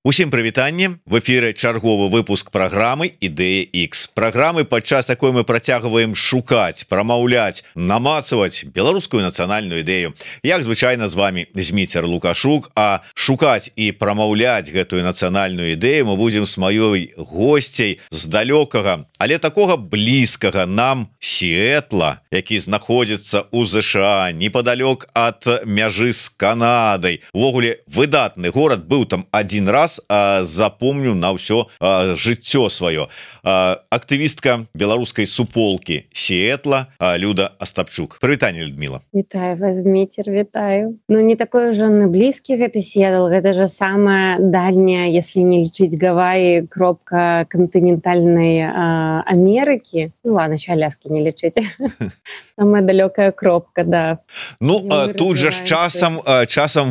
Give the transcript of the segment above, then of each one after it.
Усім прывітанне, в эфіры чарговы выпуск праграмы Ідэя X. Праграмы, падчас такой мы працягваем шукаць, прамаўляць, намацаваць беларускую нацыянальную ідэю. Як звычайна з вами Зміцер Лукашук, а шукаць і прамаўляць гэтую нацыянальную ідэю мы будзем з маёй госцяй з далёкага, але такога блізкага нам Сіэтла, які знаходзіцца ў ЗША, непадалёк ад мяжы з Канадай. Увогуле выдатны горад, быў там адзін раз, запомню на ўсё жыццё сваё. Актывістка беларускай суполкі Сіэтла Люда Остапчук. Прывітанне, Людмила. Вітаю вас, Дміцер, вітаю. Ну, не такой уже блізкі гэты Сіэтл, гэта же самая дальняя, если не лічыць Гавайи, кропка кантынентальнай Америки. Ну ладно, еще Аляски не лічыць. Самая далёкая кропка, да. Ну, тут же часам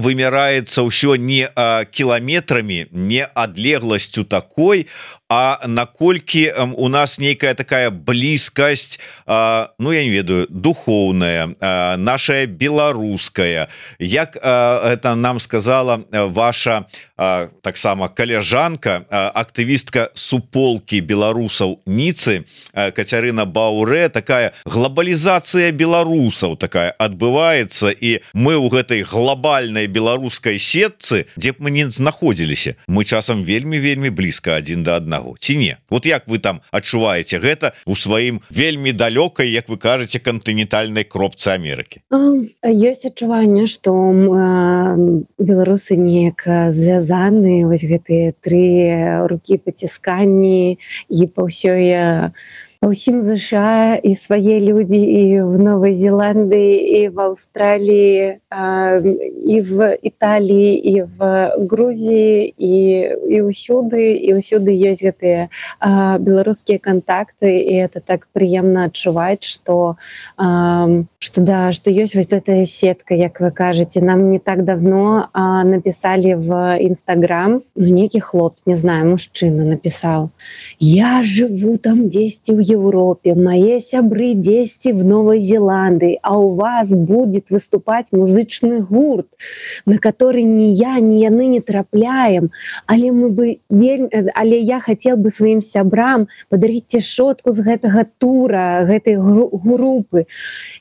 вымяраецца ўсё не кіламетрамі, не адлегласцю такой, а наколькі у нас нейкая такая блізкасць, ну я не ведаю, духоўная, наша беларуская. Як это нам сказала ваша таксама каляжанка, актывістка суполкі беларусаў Ніцы Кацярына Бауре, такая глобалізацыя беларусаў такая адбываецца, і мы ў гэтай глобальнай беларускай сетцы, дзе б мы не знаходзіліся, мы часам вельмі блізка адзін да аднаго, ці не? Вот як вы там адчуваеце гэта у сваім вельмі далёкай, як вы кажаце, кантынентальнай кропцы Амерыкі? Ёсць адчуванне, што беларусы неяк звязаны, вось гэтыя тры рукі пацісканні, і па ўсім ЗША, і свае людзі, і в Новай Зеландыі, і в Аўстраліі, і в Італіі, і в Грузіі, і ўсюды ёсць гэтыя беларускія кантакты, і это так прыемна адчуваць, што ёсць вось гэтая сетка, як вы кажаце. Нам не так давно написали в Инстаграм, нейкі хлоп, не знаю, мужчына написал: «Я живу там 10 в Европе, мои сябры 10 в Новой Зеландии, а у вас будет выступать музычный гурт, на который ни я, ни яны не трапляем, але я хотел бы своим сябрам подарить цішотку з гэтага тура, гэтай группы.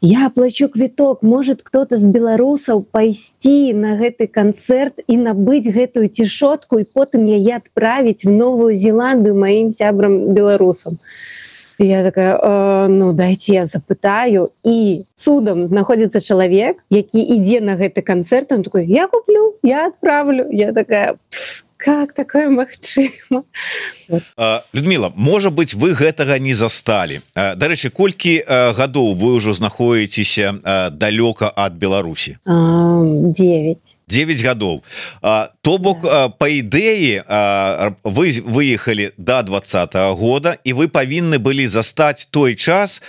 Я оплачу квиток, может кто-то з беларусаў пайсці на гэты концерт и набыть гэтую цішотку, и потым яе отправить в Новую Зеландию моим сябрам беларусам». И я такая, ну дайте я запытаю, и цудом знаходится человек, які ідзе на гэты концерт, он такой: я куплю, я отправлю. Я такая: как такое магчыма? Людмила, можа быть, вы гэтага не засталі. Дарэчы, колькі гадоў вы ўжо знаходзіцеся далёка ад Беларусі? 9 гадоў. То бок, по ідэі, вы выехалі до 2020 года, і вы павінны былі застаць той час,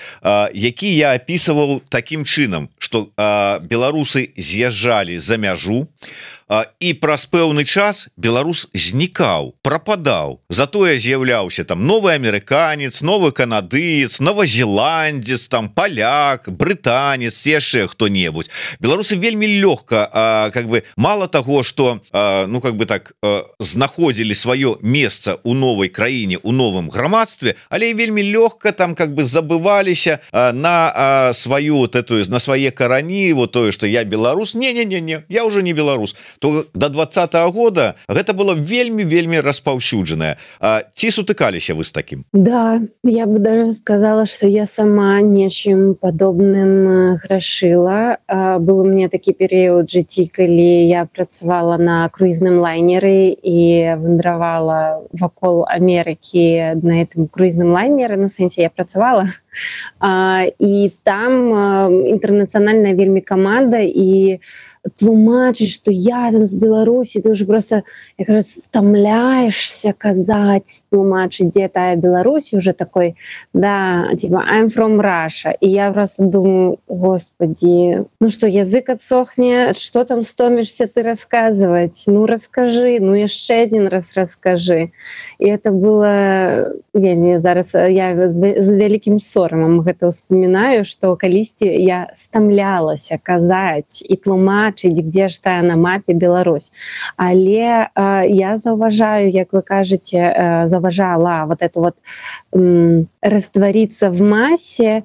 які я апісваў такім чынам, што беларусы з'язджалі за мяжу, і праз пэўны час беларус знікаў, прападаў. Затое з'яўляўся там новы амерыканец, новы канадыец, новазеландец, там паляк, брытанец, яшчэ хто-небудзь. Беларусы вельмі лёгка, как бы, мало таго, што ну как бы так знаходзілі сваё месца ў новай краіне, у новым грамадстве, але вельмі лёгка там как бы забываліся на сваю вот эту, на свае карані, вот тое, што я беларус. Не, я уже не беларус. То до 2020 года гэта было вельмі распаўсюджанае. Ці сутыкаліся вы з такім? Да, я бы даже сказала, что я сама нечым подобным грашыла. Был у меня такі перыяд жыцці, калі я працавала на круізным лайнеры і вандравала вакол Амерыкі на гэтым круізным лайнеры, ну, в сэнсе, я працавала. І там інтэрнацыянальная вельмі каманда, і тлумачыць, што я там з Беларусі, ты уже просто якраз стамляешься казаць, тлумачыць, дзе тая Беларусь, уже такой, да, типа I'm from Russia. І я просто думаю: господи, ну что, язык отсохне, что там стомишься ты рассказывать? Ну расскажи, ну яшчэ один раз расскажи. І это было вельмі, зараз я з вялікім сорамам гэта ўспамінаю, што калісьці я стамлялася казаць і тлумачыць патлумачыць, где ж тая на мапе Беларусь. Але я заўважаю, як вы кажаце, заўважала вот это вот раствориться в массе,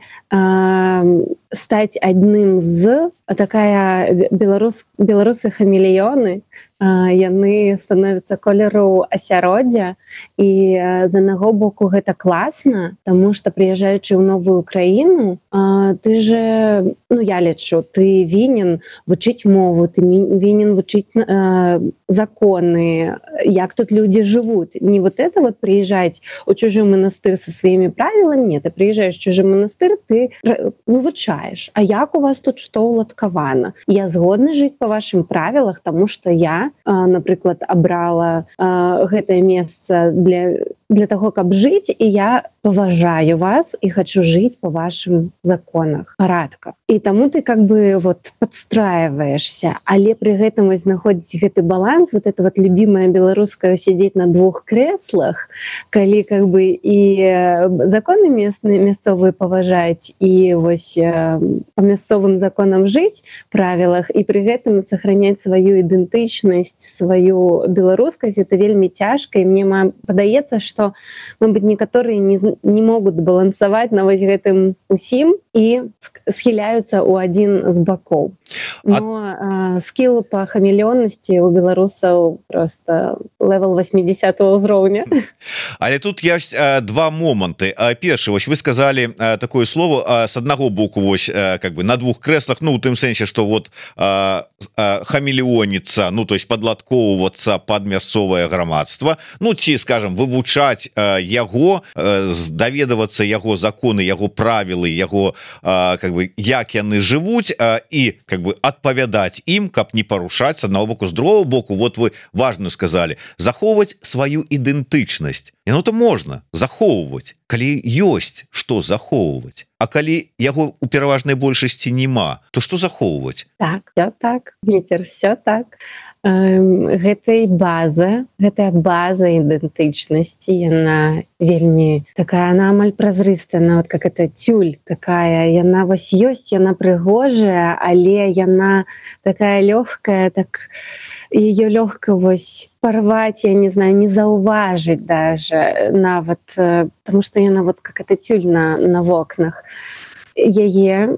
стать одним з, такая беларусы-хамелеоны, яны становятся колеру асяроддзя, і з аднаго боку гэта класна, тому что прыязджаючы ў новую краіну, ты же, ну я лічу, ты вінен вучыць мову, ты вінен вучыць законы, як тут люди живут. Не вот это вот приезжать у чужой монастырь со своими правилами, нет, ты приезжаешь в чужой монастырь, ты вывучаешь, а як у вас тут что уладкавана. Я згодна жыць по вашим правилах, тому что я, напрыклад, абрала гэтае месца для того, каб жыць, і я паважаю вас і хочу жыць по вашим законах, парадках. І таму ты как бы вот подстраиваешься, але при гэтым вось знаходзіць гэты баланс, вот это вот любимое беларускае сидеть на двух креслах, калі как бы і законы мясцовыя паважаць, і вось по мясцовым законам жыць, правилах, і при гэтым сохранять свою ідэнтычнасць, свою беларускасць, это вельмі цяжка, і мне падаецца, что, мабыць, некаторыя не могут балансаваць на вось гэтым усім і схіляюцца ў адзін з бакоў. Но скилл по хамелеонности у белорусов просто левел 80-го ўзроўня. Але тут есть два моманты. Першы, вось вы сказали такое слово, с одного боку вось как бы на двух креслах, ну у тым сэнсе, что вот хамелеоніцца, ну то есть падладкоўвацца под мясцовае грамадства, ну ці, скажем, вывучаць яго, даведавацца яго законы, яго правілы, яго как бы як яны жывуць, і как бы адпавядаць ім, каб не парушаць, з аднаго боку, з другого боку, вот вы важную сказали, захоўваць сваю ідэнтычнасць. І ну то можна захоўваць, калі ёсць што захоўваць. А калі яго у пераважнай большасці няма, то што захоўваць? Так, все так, Вецер, все так. Гэтая база ідэнтычнасці, яна вельмі такая, она амаль празрыстая, она вот как это тюль такая, яна вось ёсць, яна прыгожая, але яна такая лёгкая, так ее легко вось порвать, я не знаю, не заўважыць даже нават, потому что яна вот как это тюль на вокнах. Яе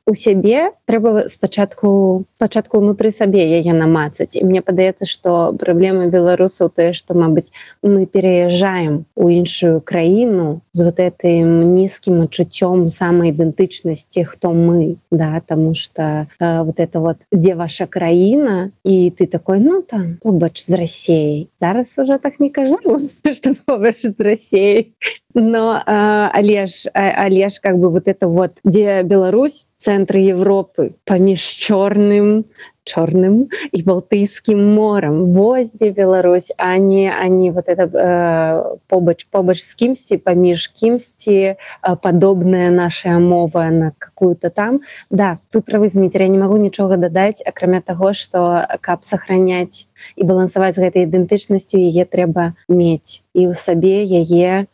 у сябе трэба спачатку ўнутры сабе яе намацаць. І мне падаецца, што праблема беларусаў тое, што, мабыць, мы пераязджаем у іншую краіну з вот этим нізкім адчуццём самаідэнтычнасці, хто мы, да, таму што вот это вот дзе ваша краіна, і ты такой, ну там побач з Расіяй. Зараз уже так не кажу, што побач з Расіяй. Но але ж как бы вот это вот, где Беларусь, центр Европы, паміж чорным і Балтыйскім морам, вось дзе Беларусь, а не вот это побач з кімсьці, паміж кімсьці, падобная наша мова на какую-то там. Да, вы правы, Зміцер, я не могу нічога дадаць, акрамя таго, што каб сохраняць і балансаваць з гэтай ідэнтычнасцю, яе трэба мець і ў сабе яе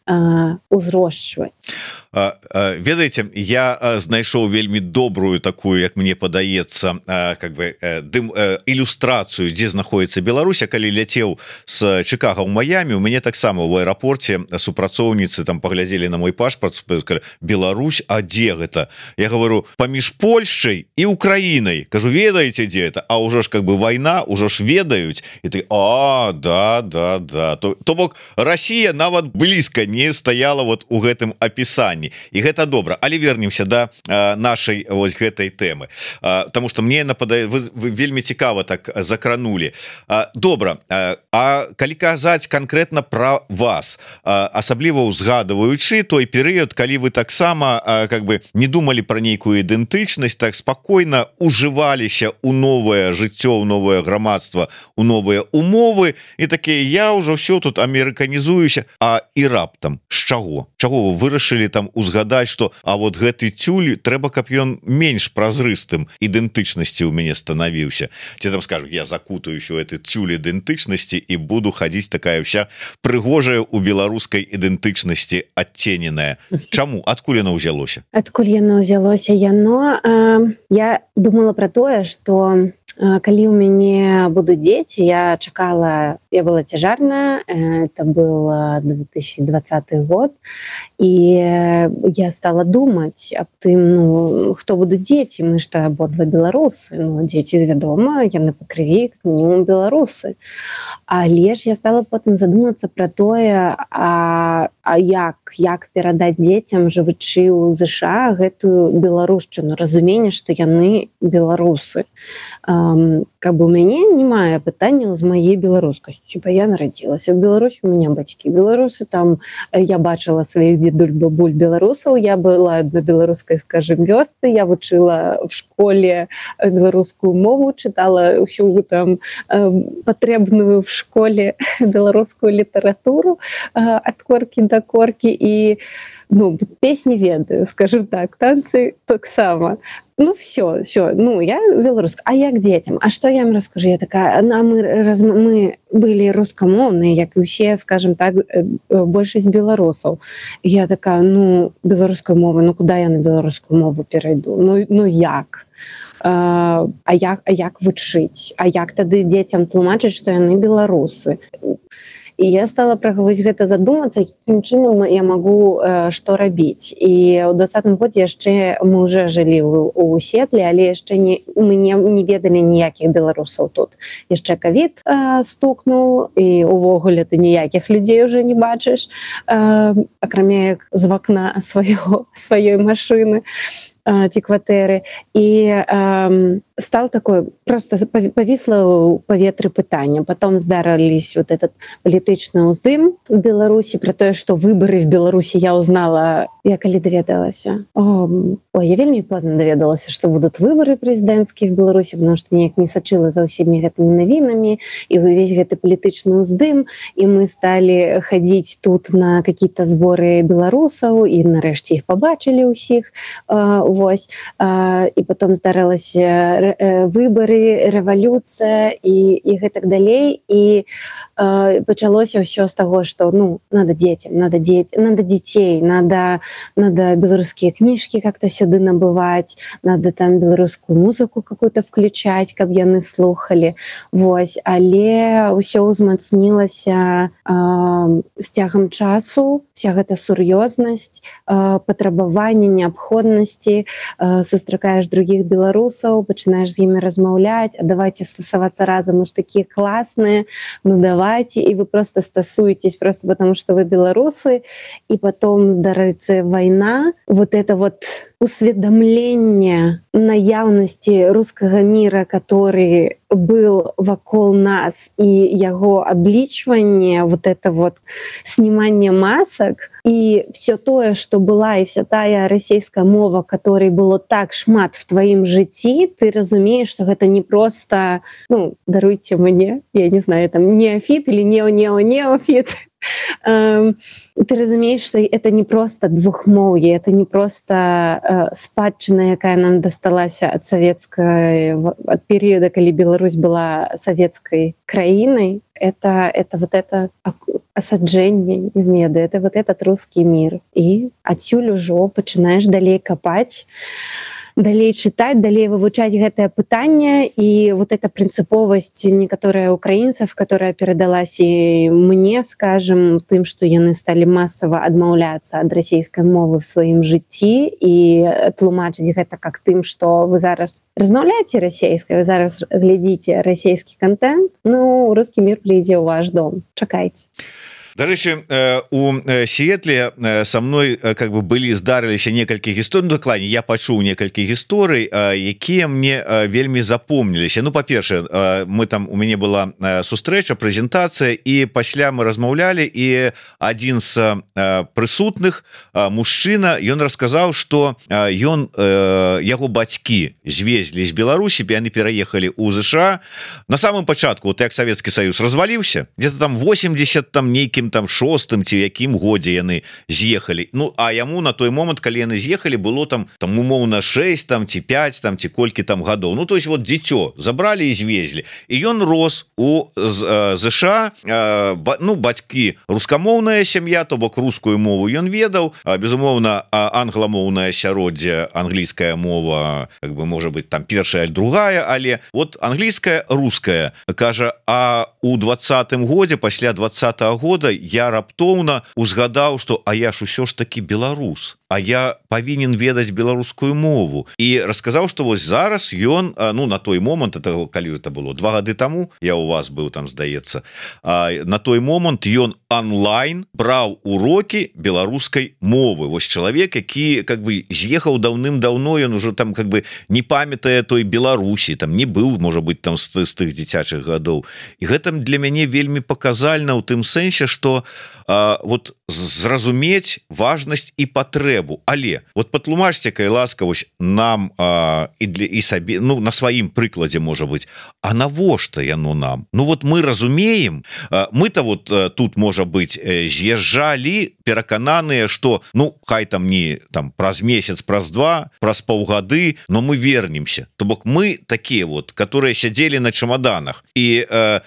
узрошчваць. Ведаеце, я знайшоў вельмі добрую такую, як мне падаецца, как бы ілюстрацыю, дзе знаходіцца Беларусь. Калі ляцеў з Чикаго ў Майами, у мяне таксама ў аэрапорце супрацоўніцы там паглядзелі на мой пашпарт, сказали: Беларусь, а дзе гэта? Я говорю, паміж Польшчай і Украінай. Кажу, ведаеце, дзе это? А ўжо ж как бы вайна, ўжо ж ведаюць. І ты, да. То бок Расія нават блізка не стаяла вот у гэтым апісанні. І гэта добра. Але вернемся да нашай вось гэтай тэмы. Таму што мне нападае, вы вельмі цікава так закранули. Добра. А калі казаць канкрэтна пра вас, асабліва ўзгадваючы той перыяд, калі вы таксама как бы не думалі пра нейкую ідэнтычнасць, так спакойна ужываліся ў новае жыццё, ў новае грамадства, у новыя умовы, і такія, я ўжо ўсё тут амерыканізую арганізуюся і раптам з чаго вы вырашылі там узгадаць что а вот гэты тюль трэба каб ён менш празрыстым ідэнтычнасці ў мяне станавіўся ці там скажу я закутаюсь у этой тюль ідэнтычнасці і буду хадзіць такая вся прыгожая у беларускай ідэнтычнасці адцененая чаму адкуль яно ўзялося я думала про тое что калі у мяне будуць дзеці я была цяжарная это был 2020 год і я стала думаць аб тым хто будуць дзеці мы ж абодва беларусы дзеці вядома яны па крыві как мінімум беларусы але ж я стала потым задумацца про тое як перадаць дзецям жывучы ў ЗША гэтую беларушчыну разуменне што яны беларусы как бы у мяне не мае пытанняў з маей беларускасцю я нарадзілася в Беларусі у меня бацькі беларусы там я бачыла сваіх дзедуль бабуль беларусаў я была на беларускай скажем вёсцы я вучыла в школе беларускую мову чытала ўсю там патрэбную в школе беларускую літаратуру ад коркі да коркі і песні ведаю скажу так танцы таксама все я беларуска а як дзецям а что я им раскажу я такая мы былі рускамоўныя як і усе скажем так большасць беларусаў я такая беларуская мова куда я на беларускую мову перайду як як вучыць а як тады дзецям тлумачыць што яны беларусы і я стала вось гэта задумацца якім чынам я магу што рабіць і ў 20-м годзе яшчэ мы уже жылі у Сетле але яшчэ мы не ведалі ніякіх беларусаў тут яшчэ ковід стукнуў і увогуле ты ніякіх людзей уже не бачыш акрамя як з вакна сваёй машыны ці кватэры і стал такое просто павісла ў паветры пытання потом здарылись вот этот палітычны ўздым у Беларусі про тое что выборы в Беларусі я узнала я калі даведалася я вельмі позна даведалася что будут выборы прэзідэнцкія в Беларусі потому что неяк не сачыла за ўсімі гэтымі навінамі і увесь гэты палітычны ўздым і мы сталі хадзіць тут на какие-то зборы беларусаў і нарэшце іх побачылі ўсіх вось і потом здарылася выборы рэвалюцыя і гэтак далей і пачалося ўсё з таго что надо дзецям надо дзяцей надо беларускія кніжкі как-то сюды набываць надо там беларускую музыку какую-то включать каб яны слухали вось але ўсё ўзмацнілася з цягам часу вся гэта сур'ёзнасць патрабаванне неабходнасці сустракаеш других беларусаў пачынаеш з імі размаўляць а давайте стасавацца разам мы ж такія класныя давайте і вы просто стасуетесь просто потому что вы беларусы і потом здарыцца вайна вот это вот усведомление наяўнасці рускага мира который был вакол нас і яго аблічванне вот это вот снимание масок і все тое что была і вся тая расійская мова которой было так шмат в тваім жыцці ты разумееш что гэта не просто даруйте мне я не знаю там неофит или неофит ты разумеешь что это не просто двухмоўе это не просто спадчына якая нам дасталася ад савецкай ад перыяда калі Беларусь была савецкай краінай это вот это асаджэнне не ведаю это вот этот русский мир і адсюль ужо пачынаеш далей капаць далей чытаць далей вывучаць гэтае пытанне і вот эта прынцыповасць некаторыя украінцаў которая перадалась і мне скажем тым что яны сталі масава адмаўляцца ад расійскай мовы в сваім жыцці і тлумачыць гэта как тым что вы зараз размаўляеце расійскай вы зараз глядзіце расійскі контент русский мир прыйдзе ў ваш дом чакайце. Дарэчы у Сетле со мной как бы былі здарыліся некалькі гісторый дакладней я пачуў некалькі гісторый якія мне вельмі запомніліся па-першае мы там у мяне была сустрэча прэзентацыя і пасля мы размаўлялі і адзін з прысутных мужчына ён расказаў что ён яго бацькі звезлі з Беларусі яны пераехалі ў ЗША на самым пачатку як Савецкі Саюз разваліўся где-то там 80 там нейкім там 6 ці якім годзе яны з'ехалі. Ну а яму на той момант, калі яны з'ехалі, было там умоўна 6 там ці 5 там ці колькі там гадоў. Ну то есть вот дзіцё забралі і звезлі, і ён рос у ЗША. Ну бацькі рускамоўная сям'я, то бок рускую мову ён ведаў, безумоўна англамоўнае асяроддзе, англійская мова как бы можа быть там першая, другая, але вот англійская, руская. Кажа, а у 20-м годзе, пасля 20-го года я раптоўна узгадаў, что а я ж усё ж таки беларус, а я павінен ведаць беларускую мову, і расказаў, что вось зараз ён, ну на той момант, это калі это было 2 гады таму, я у вас быў там, здаецца, на той момант ён онлайн браў уроки беларускай мовы. Вось чалавек, які как бы з'ехаў даўным-даўно, ён уже там как бы не памятае той Беларусі, там не быў, можа быть, там з тых дзіцячых гадоў. І гэта для мяне вельмі паказальна ў тым сэнсе, что вот зразумець важнасць і патрэбу. Але вот патлумачце, калі ласка, вось нам і сабе, ну на сваім прыкладзе, можа быть, а навошта яно нам? Ну вот мы разумеем, мы-то вот тут, можа быть, з'язджалі перакананыя, что ну хай там не там праз месяц, праз 2, праз паўгады, но мы вернемся. То бок мы такія вот, которые сядзелі на чемоданах, і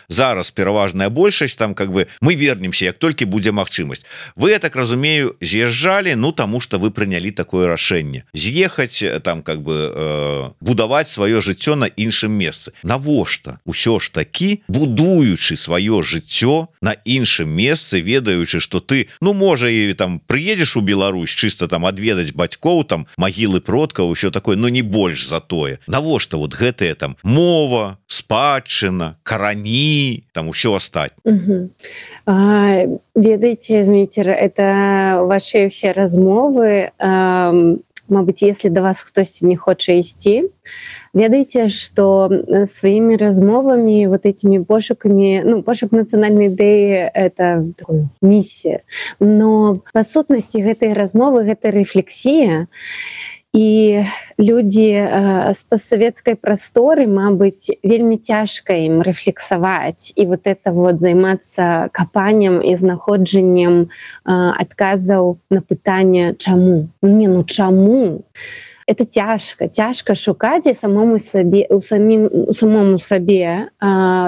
зараз пераважная большасць там как бы мы вернемся, як толькі будзе магчымасць. Вы, я так разумею, з'язджалі, ну таму что вы прынялі такое рашэнне з'ехаць там как бы будаваць сваё жыццё на іншым месцы. Навошта усё ж такі, будуючы сваё жыццё на іншым месцы, ведаючы, что ты, ну можа і там прыедзеш у Беларусь чыста там адведаць бацькоў, там магілы продкаў, усё такое, но не больш за тое. Навошта вот гэтыя там мова, спадчына, карані, там усё астатняе. Ведаеце, Зміцер, это ваши все размовы, мабыць, если до вас хтосьці не хоча ісці, ведаеце, что своими размовами, вот этими пошуками, ну, пошук национальной идеи — это такая миссия, но по сутнасці гэтай размовы, гэта рефлексия, і людзі з пастсавецкай прасторы, мабыць, вельмі цяжка ім рэфлексаваць і вот это вот займацца капаннем і знаходжаннем адказаў на пытанне чаму. Не, ну чаму? Это цяжка шукаць і самому сабе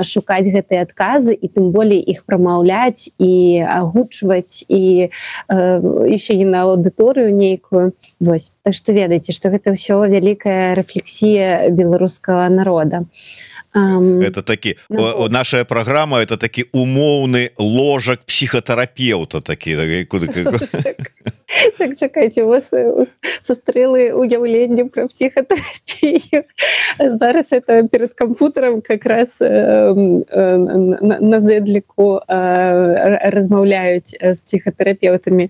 шукаць гэтыя адказы і тым болей іх прамаўляць і агучваць і яшчэ і на аўдыторыю нейкую. Вось. Так што ведаеце, што гэта ўсё вялікая рэфлексія беларускага народа. Это такі, наша праграма — это такі умоўны ложак псіхатэрапеўта такі. Так, чакайце, у вас састрэлы уяўленне пра псіхатэрапію. Зараз это перад кампутарам как раз на зэдліку размаўляюць з псіхатэрапеўтамі.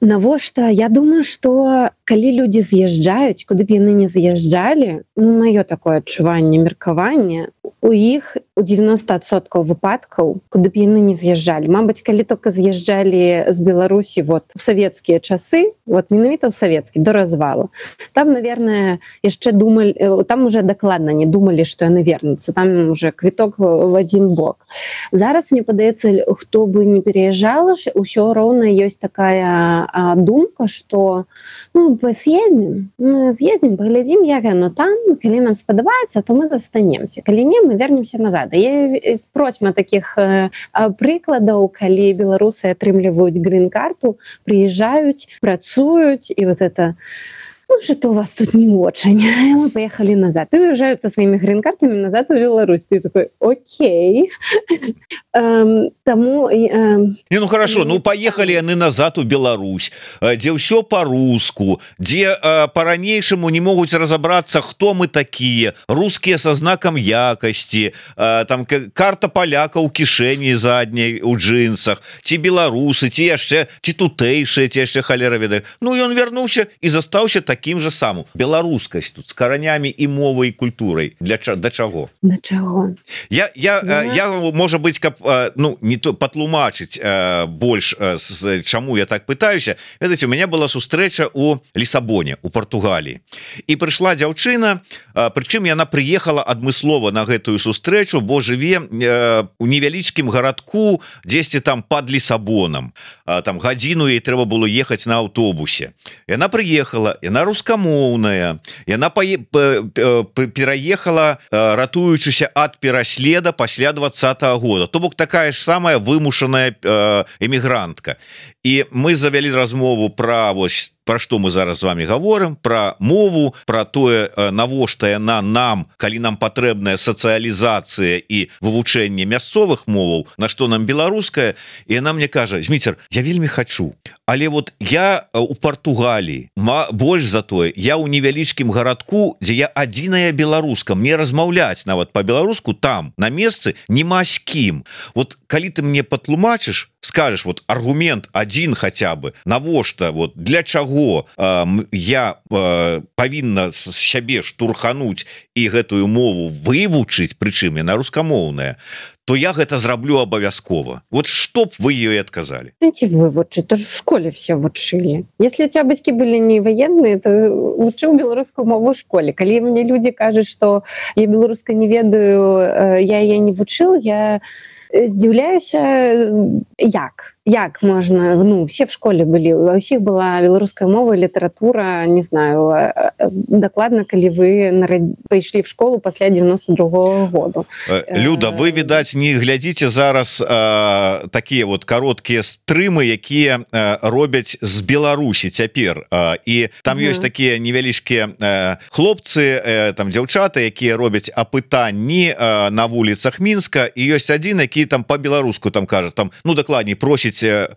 Навошта? Я думаю, што калі людзі з'язджаюць, куды б яны не з'язджалі, ну, маё такое адчуванне, меркаванне, у іх у 90% выпадкаў, куды б яны не з'язджалі. Мабыць, калі только з'язджалі з Беларусі вот в савецкія часы, вот менавіта ў савецкі, до развалу, там, наверное, яшчэ думалі, там уже дакладна не думалі, што яны вернуцца, там уже квіток в один бок. Зараз, мне падаецца, хто бы не переязджал, усё роўна ёсць такая думка, што ну, съездим, поглядим, як оно там, калі нам спадабаецца, то мы застанемся. Калі не, мы вернемся назад. Я процьма таких прыкладаў, калі беларусы атрымліваюць грин-карту, приезжают, працуюць, и вот это... Ну, что у вас тут не очень. И мы поехали назад. И уезжают со своими грин-картами назад в Беларусь. Ты такой, окей. Тому... Не, ну хорошо, ну поехали они назад в Беларусь, где все по-русски, где по-ранейшему не могут разобраться, кто мы такие, русские со знаком якости, там карта поляка у кишени задней, у джинсах, те белорусы, те яшчэ, те тутэйшие, те яшчэ холера ведают. Ну и он вернулся и застаўся таким таким же самым беларускасць тут с каранямі і мовай і культурай да чаго я можа быть каб ну не то патлумачыць больш чаму я так пытаюся. Ведаеце, у меня была сустрэча у Лісабоне у Португалії і прыйшла дзяўчына, прычым яна прыехала адмыслова на гэтую сустрэчу, бо жыве у невялічкім гарадку дзесьці там под Лісабонам, там гадзіну ей трэба было ехаць на аўтобусе. Яна прыехала, яна рускамоўная, яна пераехала, ратуючыся ад пераследа пасля 20-го года, то бок такая ж самая вымушаная эмігрантка. І мы завялі размову пра вось про што мы зараз з вами говорим, про мову, про тое, навошта яна нам, калі нам патрэбная сацыялізацыя і вывучэнне мясцовых моваў, на што нам беларуская. І яна мне кажа: Зміцер, я вельмі хочу, але вот я у Португалії, больш за тое, я у невялічкім гарадку, дзе я адзіная беларуска, мне размаўляць нават по-беларуску там на месцы нема з кім. Вот калі ты мне патлумачыш, скажешь вот аргумент один хотя бы, навошта, вот для чаго я павінна з сябе штурхануть і гэтую мову вывучыць, прычым яна рускамоўная, то я гэта зраблю абавязкова. Вот что б вы ей отказали? Вывучить, то же в школе все учили. Если у тебя бацькі были не военные, то учил беларускую мову в школе. Калі мне люди кажут, что я беларуска не ведаю, я ее не вучил, я здзіўляюся, як можна, ну, все в школе были, у ўсіх была беларуская мова, літаратура, не знаю, дакладна, калі вы прыйшлі в школу пасля 92-го году. Люда, вы, відаць, не глядзіце зараз такія вот кароткія стрымы, якія робяць з Беларусі цяпер, і там ёсць такія невялічкія хлопцы, там дзяўчаты, якія робяць апытанні на вуліцах Мінска, і ёсць адзін, які там по-беларуску там кажа, там, ну, дакладней, просіць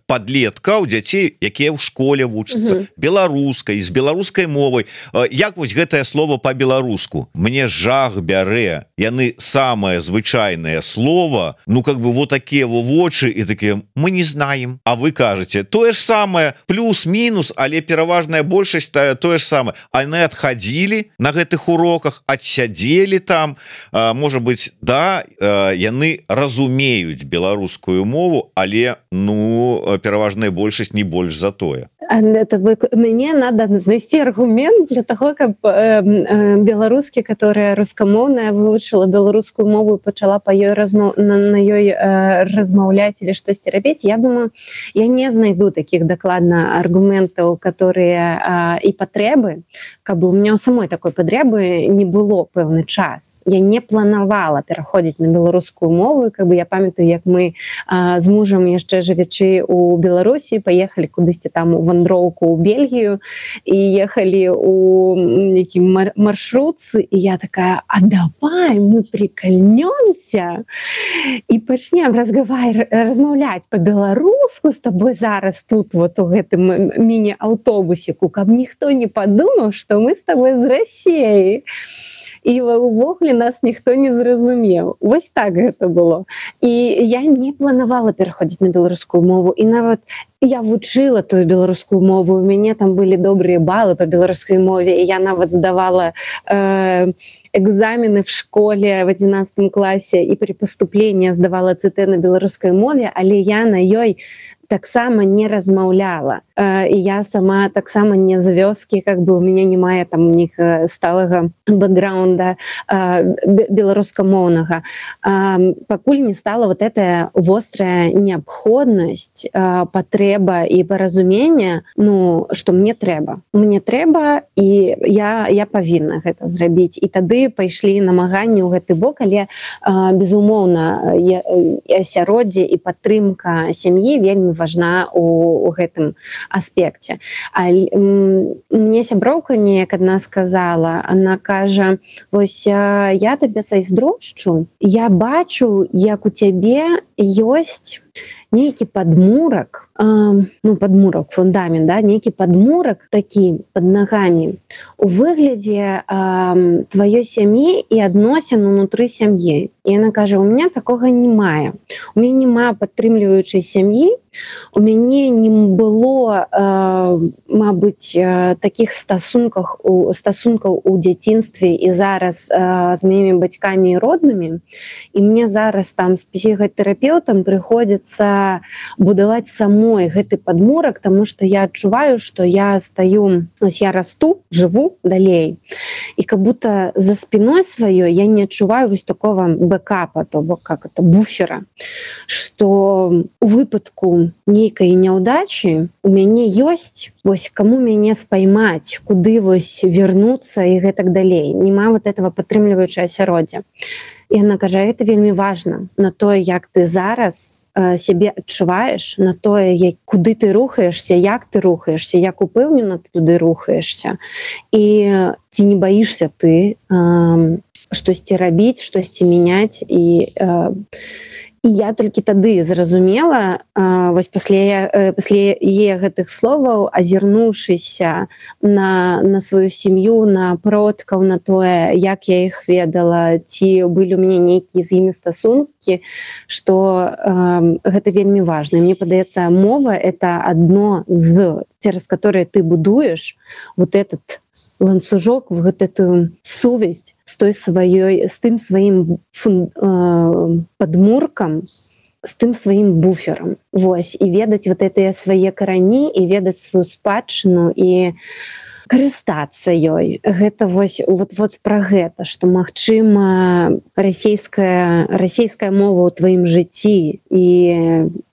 падлеткаў, дзяцей, якія ў школе вучацца беларускай, з беларускай мовай. Як вось гэтае слово по-беларуску? Мне жах бярэ. Яны самае звычайнае слово, ну, как бы вот такія вочы і такія: мы не знаем. А вы кажаце тое ж самае, плюс-мінус, але пераважная большасць тое ж самае. Яны адхадзілі на гэтых уроках, адсядзелі там, можа быть, да, яны разумеюць беларускую мову, але, ну, пераважная большасць не больш за тое. Мне надо знайсці аргумент для того, каб беларускі, которая рускамоўная, вывучыла беларускую мову і пачала на ёй размаўляць или штосьці рабіць. Я думаю, я не знайду таких дакладна аргументаў, которые і патрэбы, каб у меня у самой такой патрэбы не было пэўны час. Я не планавала пераходзіць на беларускую мову, каб я памятаю, як мы з мужам яшчэ жывячы у Беларусі паехалі кудысьці там у вандроўку ў Бельгію і ехалі у нейкі маршрутцы, і я такая: а давай мы прикольнёмся і пачнем размаўляць по-беларуску з тобой зараз тут вот у гэтым міні-аўтобусіку, каб ніхто не падумаў, што мы з тобой з Расіі. І увогуле нас ніхто не зразумеў. Вось так гэта было. І я не планавала пераходзіць на беларускую мову, і нават я вучыла тую беларускую мову, у мяне там былі добрыя балы по беларускай мове, і я нават здавала экзамены в школе в 11 классе, і при поступлении здавала ЦТ на беларускай мове, але я на ёй таксама не размаўляла. І я сама таксама не з вёскі, как бы у меня не мае там них сталага бэкграунда беларускамоўнага. Пакуль не стала вот эта вострая неабходнасць, патрэба і паразумение, ну, что мне трэба. Мне трэба, і я павінна гэта зрабіць. І тады пайшлі намаганні ў гэты бок, але безумоўна асяроддзе і падтрымка сям'і вельмі важна у гэтым аспекце. Мне сяброўка неяк адна сказала, она кажа: вось я табе зайздрошчу, я бачу, як у цябе ёсць нейкі падмурак, ну, падмурак, фундамент, да, нейкі падмурак такі пад нагамі у выглядзе тваёй сям'і і адносін унутры сям'і. І яна кажа: у меня такога не мае. У мяне няма падтрымліваючай сям'і, У мяне не было, мабыць, такіх стасункаў у дзяцінстве і зараз з маімі бацькамі і роднымі. І мне зараз там з псіхатэрапеўтам прыходзіцца будаваць самой гэты падмурак, таму што я адчуваю, што я стаю, ось я расту, жыву далей. І как будто за спиной сваёй я не адчуваю вось такого бэкапа, то бок как это буфера, што у выпадку нейкай няўдачы у мяне ёсць вось каму мяне спаймаць, куды вось вернуцца і гэтак далей. Нема вот этого падтрымліваючае асяроддзя. І яна кажа, это вельмі важна на тое, як ты зараз сябе адчуваеш, на тое, куды ты рухаешься, як ты рухаешься, як упэўнена ты туды рухаешься. І ці не баішся ты штосьці рабіць, штосьці мяняць. І я толькі тады зразумела, вось пасля яе гэтых словаў, азірнуўшыся на сваю сям'ю, на продкаў, на тое, як я іх ведала, ці былі ў мяне нейкія з імі стасункі, што гэта вельмі важна. Мне падаецца, мова — это адно з, цераз которое ты будуеш вот этот ланцужок, вот эту сувязь з тым сваім падмуркам, з тым сваім буферам. Вось, і ведаць вот гэтыя свае карані, і ведаць сваю спадчыну, і карыстацца ёй. Гэта вось пра гэта, што, магчыма, расейская мова ў тваім жыцці, і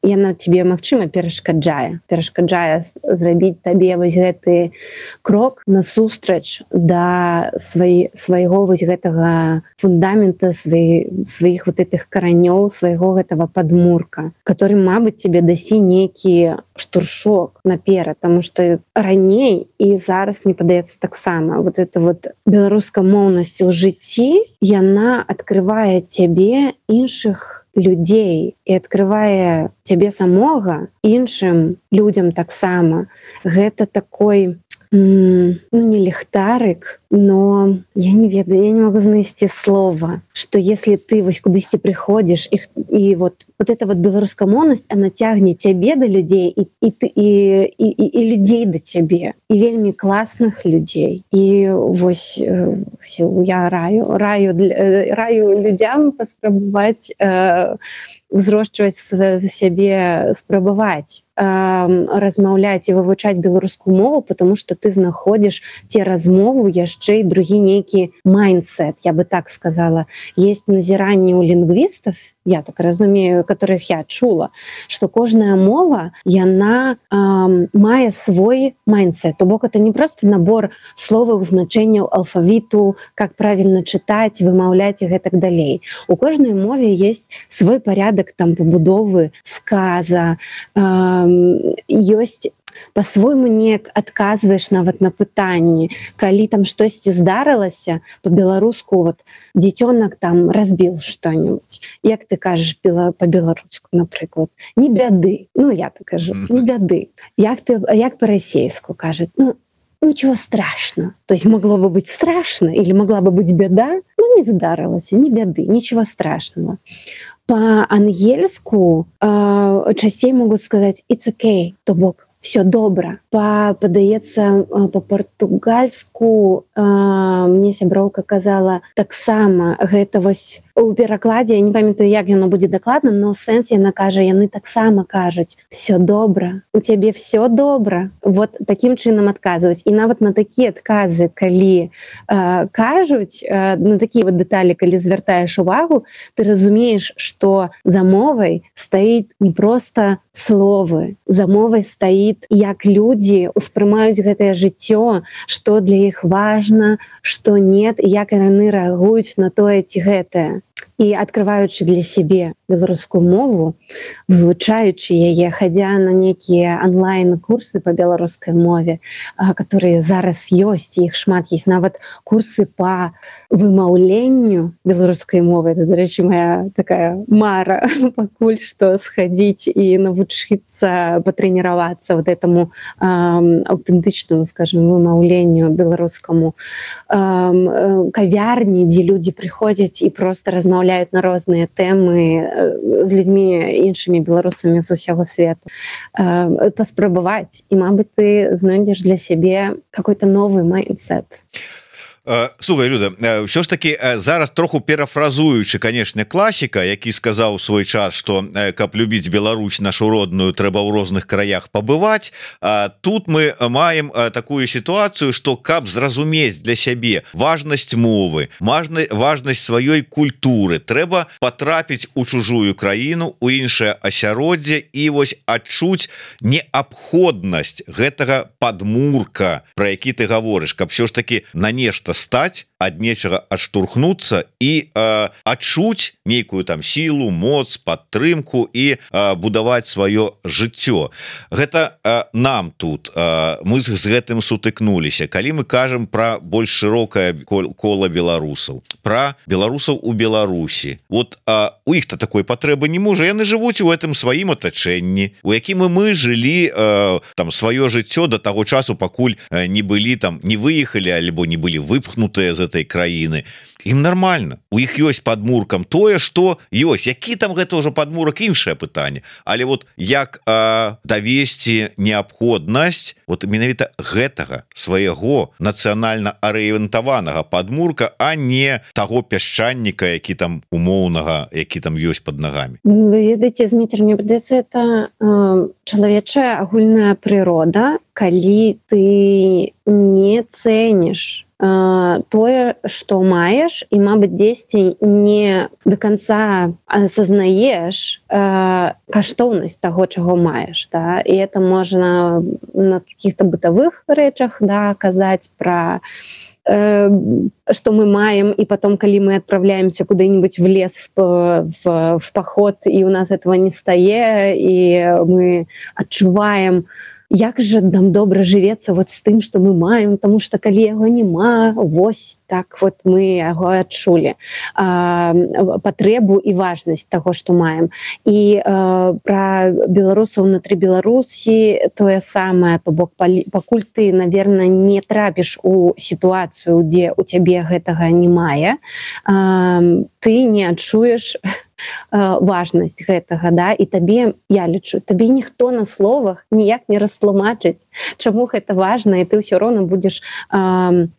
яна тебе, магчыма, перашкаджае зрабіць табе вось гэты крок насустрач да свайго вось гэтага фундамента, сваіх вот этих каранёў, свайго гэтага падмурка, который, мабыць, тебе дасі нейкі штуршок наперад, таму што раней і зараз, мне падаецца, таксама вот эта вот беларускамоўнасць у жыцці, яна адкрывае цябе іншых людзей і адкрывае цябе самога іншым людзям таксама. Гэта такой, не ліхтарык, но я не ведаю, я не могу знайсці слова, что если ты вось кудысьці прыходзіш, і вот эта вот беларускамоўнасць, она цягне цябе да людзей і людзей да цябе, і вельмі класных людзей. І вось я раю людзям паспрабаваць узрошчваць сябе, спрабаваць размаўляць і вывучаць беларускую мову, потому что ты знаходзіш ці размову яшчэ і другі нейкі майндсет, я бы так сказала. Есть назіранні ў лінгвістаў, я так разумею, которых я чула, што кожная мова, яна мае свой майндсет. То бок это не просто набор словаў, значэнняў, алфавіту, как правильно чытаць, вымаўляць і гэтак далей. У кожнай мове есть свой порядок там пабудовы сказа, ёсць по-свойму неяк адказваеш нават на пытанні. Калі там штосьці здарылася, по-беларуску вот дзіцёнак там разбіў што-нибудь. Як ты кажаш по-беларуску, напрыклад? Не бяды. Ну, я так кажу, не бяды. Як по-расейску кажет? Ну, ничего страшного. То есть могло бы быть страшно или могла бы быть беда, но не здарылася, не бяды, ничего страшного. По-ангельску часцей могуць сказаць «it's okay», то бок «все добра». Падаецца, па-партугальску мне сяброўка казала таксама, гэта вось у перакладзе, я не памятаю, як яно будзе дакладна, но сэнс яна кажа, яны таксама кажуць «все добра», «у цябе все добра». Вот такім чынам адказваюць. І нават на такія адказы, калі кажуць, на такія вот дэталі, калі звяртаеш увагу, ты разумееш, што за мовай стаіць не проста словы, за мовай стаіць, як людзі успрымаюць гэтае жыццё, што для іх важна, што нет, і як яны рэагуюць на тое ці гэтае. І адкрываючы для сябе беларускую мову, вывучаючы яе, хадзя на нейкія онлайн-курсы па беларускай мове, которые зараз ёсць, іх шмат, ёсць нават курсы па вымаўленню беларускай мовы. Это, дарэчы, моя такая мара пакуль што схадзіць і навучыцца патрэніравацца вот этому аўтэнтычнаму, скажем, вымаўленню беларускаму, кавярні, дзе людзі прыходзяць і просто размаўляюць на розныя тэмы з людзьмі іншымі беларусамі з усяго свету, паспрабаваць, і мабыць ты знойдзеш для сябе какой-то новый майндсет. Слухай, Люда, ўсё ж таки зараз троху перафразуючы, канешне, класіка, які сказаў у свой час, што каб любіць Беларусь нашу родную, трэба ў розных краях пабываць. Тут мы маем такую сітуацыю, што каб зразумець для сябе важнасць мовы, важнасць сваёй культуры, трэба патрапіць у чужую краіну, у іншае асяроддзе і вось адчуць неабходнасць гэтага падмурка, пра які ты гаворыш, каб ўсё ж таки на нешта стаць, ад нечага адштурхнуцца і адчуць нейкую там сілу, моц, падтрымку і будаваць сваё жыццё. Гэта нам тут мы з гэтым сутыкнуліся. Калі мы кажам пра больш шырокае кола беларусаў, пра беларусаў у Беларусі, вот у іх-то такой патрэбы не можа, яны жывуць у гэтым сваім атачэнні, у якім мы жылі там сваё жыццё до таго часу, пакуль не былі там, не выехалі альбо не былі выпхнутыя з этой краіны. Ім нормально, у іх ёсць падмуркам тое, што ёсць, які там гэта ўжо падмурак, іншае пытанне, але вот як давесці неабходнасць вот менавіта гэтага свайго нацыянальна арыентаванага падмурка, а не таго пясчаніка, які там умоўнага, які там ёсць под нагамі. Вы ведаеце, Зміцер, мне падаецца, это чалавечая агульная прырода, калі ты не цэніш тое, што маеш, і, мабыць, дзесьці не до конца асазнаеш каштоўнасць таго, чаго маеш, да? І это можна на каких-то бытавых рэчах, да, казаць пра что мы маем, и потом, коли мы отправляемся куда-нибудь в лес в поход, и у нас этого не стае, и мы адчуваем, як же нам добра жывецца вот з тым, што мы маем, тому што калі яго няма, вось так вот мы яго адчулі патрэбу і важнасць таго, што маем. І пра беларусаў унутры Беларусі тое самае, то бок пакуль ты, наверное, не трапіш у сітуацыю, дзе у цябе гэтага не мае, ты не адчуеш важнасць гэтага, да, і табе, я лічу, табе ніхто на словах ніяк не растлумачыць, чаму гэта важна, і ты ўсё роўна будзеш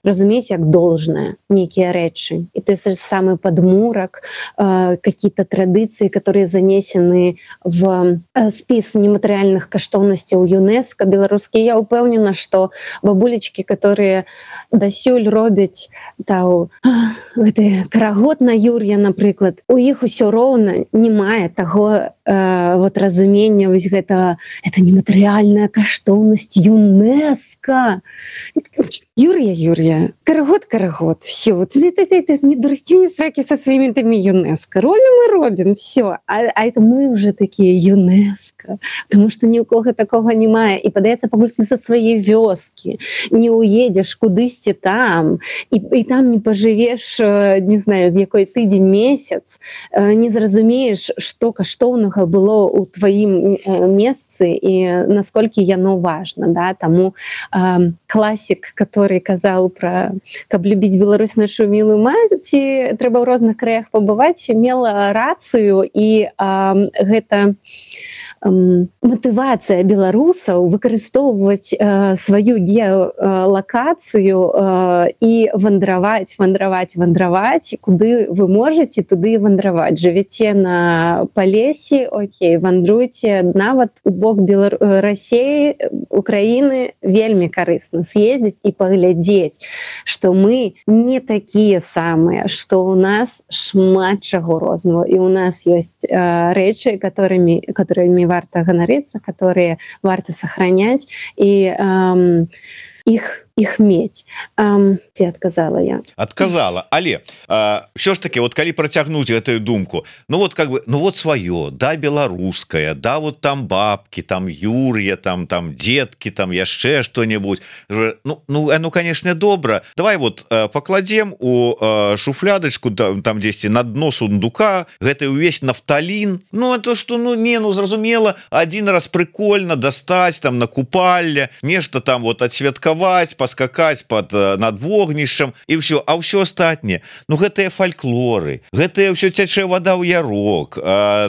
разумець як должное нейкія рэчы. І то есть самый падмурак, какие-то традыцыі, которые занесены в спіс нематэрыяльных каштоўнасцяў ЮНЕСКО беларускія. Я упэўнена, што бабулечкі, которые дасюль робяць гэты карагод на Юр'я, напрыклад, у іх усё роўна не мае таго вот разумення вось гэта нематэрыяльная каштоўнасць ЮНЕСКО. Юр'я, карагод, все. Не дурите мне сраки со своими теми ЮНЕСКО. Робим, все. А это мы уже такие ЮНЕСКО. Потому что ни у кого такого немає. І падаецца, пакуль ты со своей вёскі не уедешь кудысьці там, і там не пожывеш, не знаю, з якой тыдзень, месяц, не зразумееш, што каштоўнага было ў тваім месцы і насколькі яно важна, да? Таму класік, который казаў пра каб любіць Беларусь нашу мілую маці, трэба ў розных краях пабываць, мела рацыю, і гэта матывацыя беларусаў выкарыстоўваць сваю геалакацыю і вандраваць, куды вы можаце, туды і вандраваць. Жывяце на Палесе, окей, вандруйце нават у бок Расіі, Украіны, вельмі карысна съездзіць і паглядзець, што мы не такія самыя, што ў нас шмат чаго рознага, і ў нас ёсць рэчы, которыми варта ганарыцца, которые варта сохранять, и их мець. Ці адказала я? Адказала, але ўсё ж таки, вот калі працягнуць гэтую думку, ну вот как бы, ну вот сваё, да, беларускае, да, вот там бабки, там Юр'я, там детки, там яшчэ что-нибудь, ну конечно, добра, давай вот покладем у шуфлядочку там 10 на дно сундука гэты увесь нафталін, ну это что, ну не, ну зразумела, один раз прикольно достать там на купальне, нешта там вот отсвяткаваць, паскакаць над вогнішчам і все, а ўсё астатняе, ну гэтыя фальклоры, гэтыя ўсё цячэ вода ў ярок,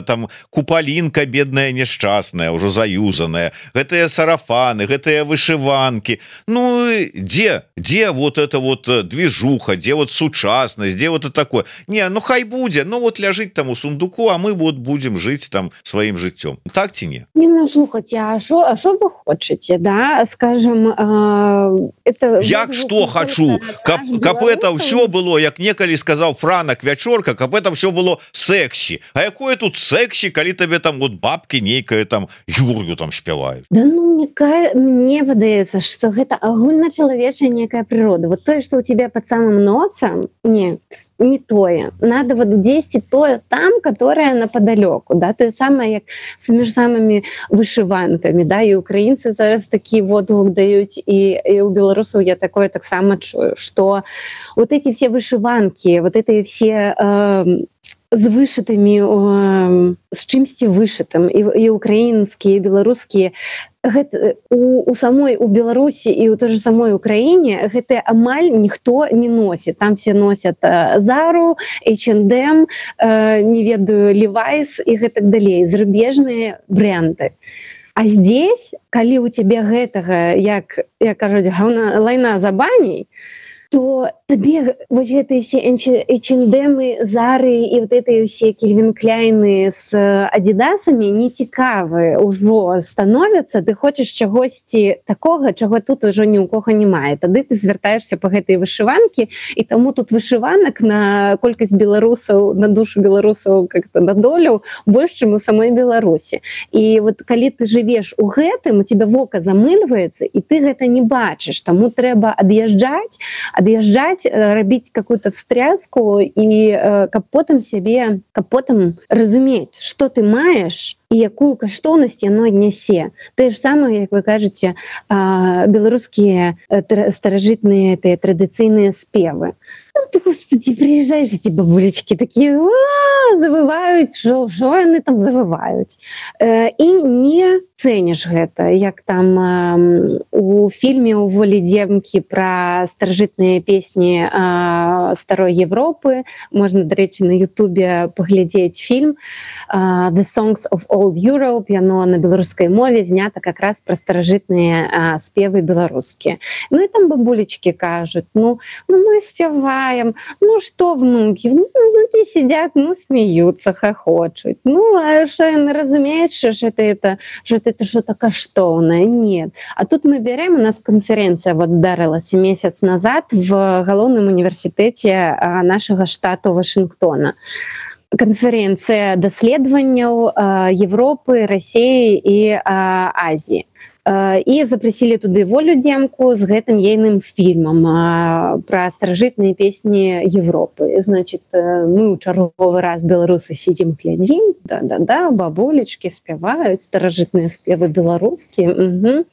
там купалінка бедная няшчасная, ўжо заюзаная, гэтыя сарафаны, гэтыя вышыванкі, ну дзе вот это вот движуха, дзе вот сучаснасць, дзе вот это такое, не, ну хай будзе, ну вот ляжыць там у сундуку, а мы вот будем жыць там сваім жыццём, так ці не? Не, ну слухайте, а что вы хотите, да, скажем, это... Як что хочу, каб это все было, як некалі сказаў Франак Вячорка, каб это все было секси, а якое тут секси, калі табе там вот бабки нейкая там Юр'ю там спяваюць? Да ну, мне выдаецца, что гэта агульначалавечая некая природа, вот то, что у тебя под самым носом, нет, не тое, надо вот 10 тое там, которое наподалеку, да, то самое, як с самыми вышиванками, да, и украинцы зараз такі водгук даюць, и у белорусов я такое таксама чую, что вот эти все вышиванки, вот эти все з вышытымі, з чымсьці вышытым, і украінскія, і беларускія, у Беларусі і у той же самой Украіне гэта амаль ніхто не носіць. Там все носят Зару, H&M, не ведаю, Levi's і гэтак далей, зарубежныя бренды. А здесь, калі у тебе гэтага, як кажуць, лайна за баней, то табе вот гэтыя все H&M, Зары і вот гэтыя все Кельвин Кляйны с адидасамі не цікавы ўжо становяцца, ты хочаш чагосьці такога, чаго тут ужо ні ў кога не мае. Тады ты звяртаешься па гэтай вышыванкі, і таму тут вышыванак на колькасць беларусаў, на душу беларусаў, как-то на долю больш, чым у самой Беларусі. І вот калі ты жывеш у гэтым, у тебя вока замыльваецца, і ты гэта не бачыш, таму трэба ад'язджаць, рабіць какую-то встряску, і каб потым разумець, што ты маеш і якую каштоўнасць яно нясе. Тое ж самае, як вы кажаце, беларускія старажытныя традыцыйныя спевы. Ну ты, господи, приезжаешь, эти бабулечки такие завываюць, що яны там завываюць. І не цэніш гэта, як там у фільме «У волі дземкі» пра старажытныя песні старой Европы. Можна, дарэчы, на Ютубе паглядзець фільм «The Songs of Old Europe», яно на беларускай мове знята как раз пра старажытныя спевы беларускія. Ну і там бабулечки кажуць, ну мы спяваем, ну что внуки, внуки сидят, ну смеются, хохочут. Ну а что яны разумеюць, что это что-то каштоўнае? Нет. А тут мы берем, у нас конференция вот здарылася месяц назад в галоўным універсітэце нашага штату Вашингтона. Конференция даследаванняў Европы, России и Азии. І запрасілі туды Волю Демку з гэтым ейным фільмам пра старажытныя песні Европы. Значит, мы ў чарговы раз беларусы сидзім, глядзім, да, бабулечкі спяваюць старажытныя спевы беларускія.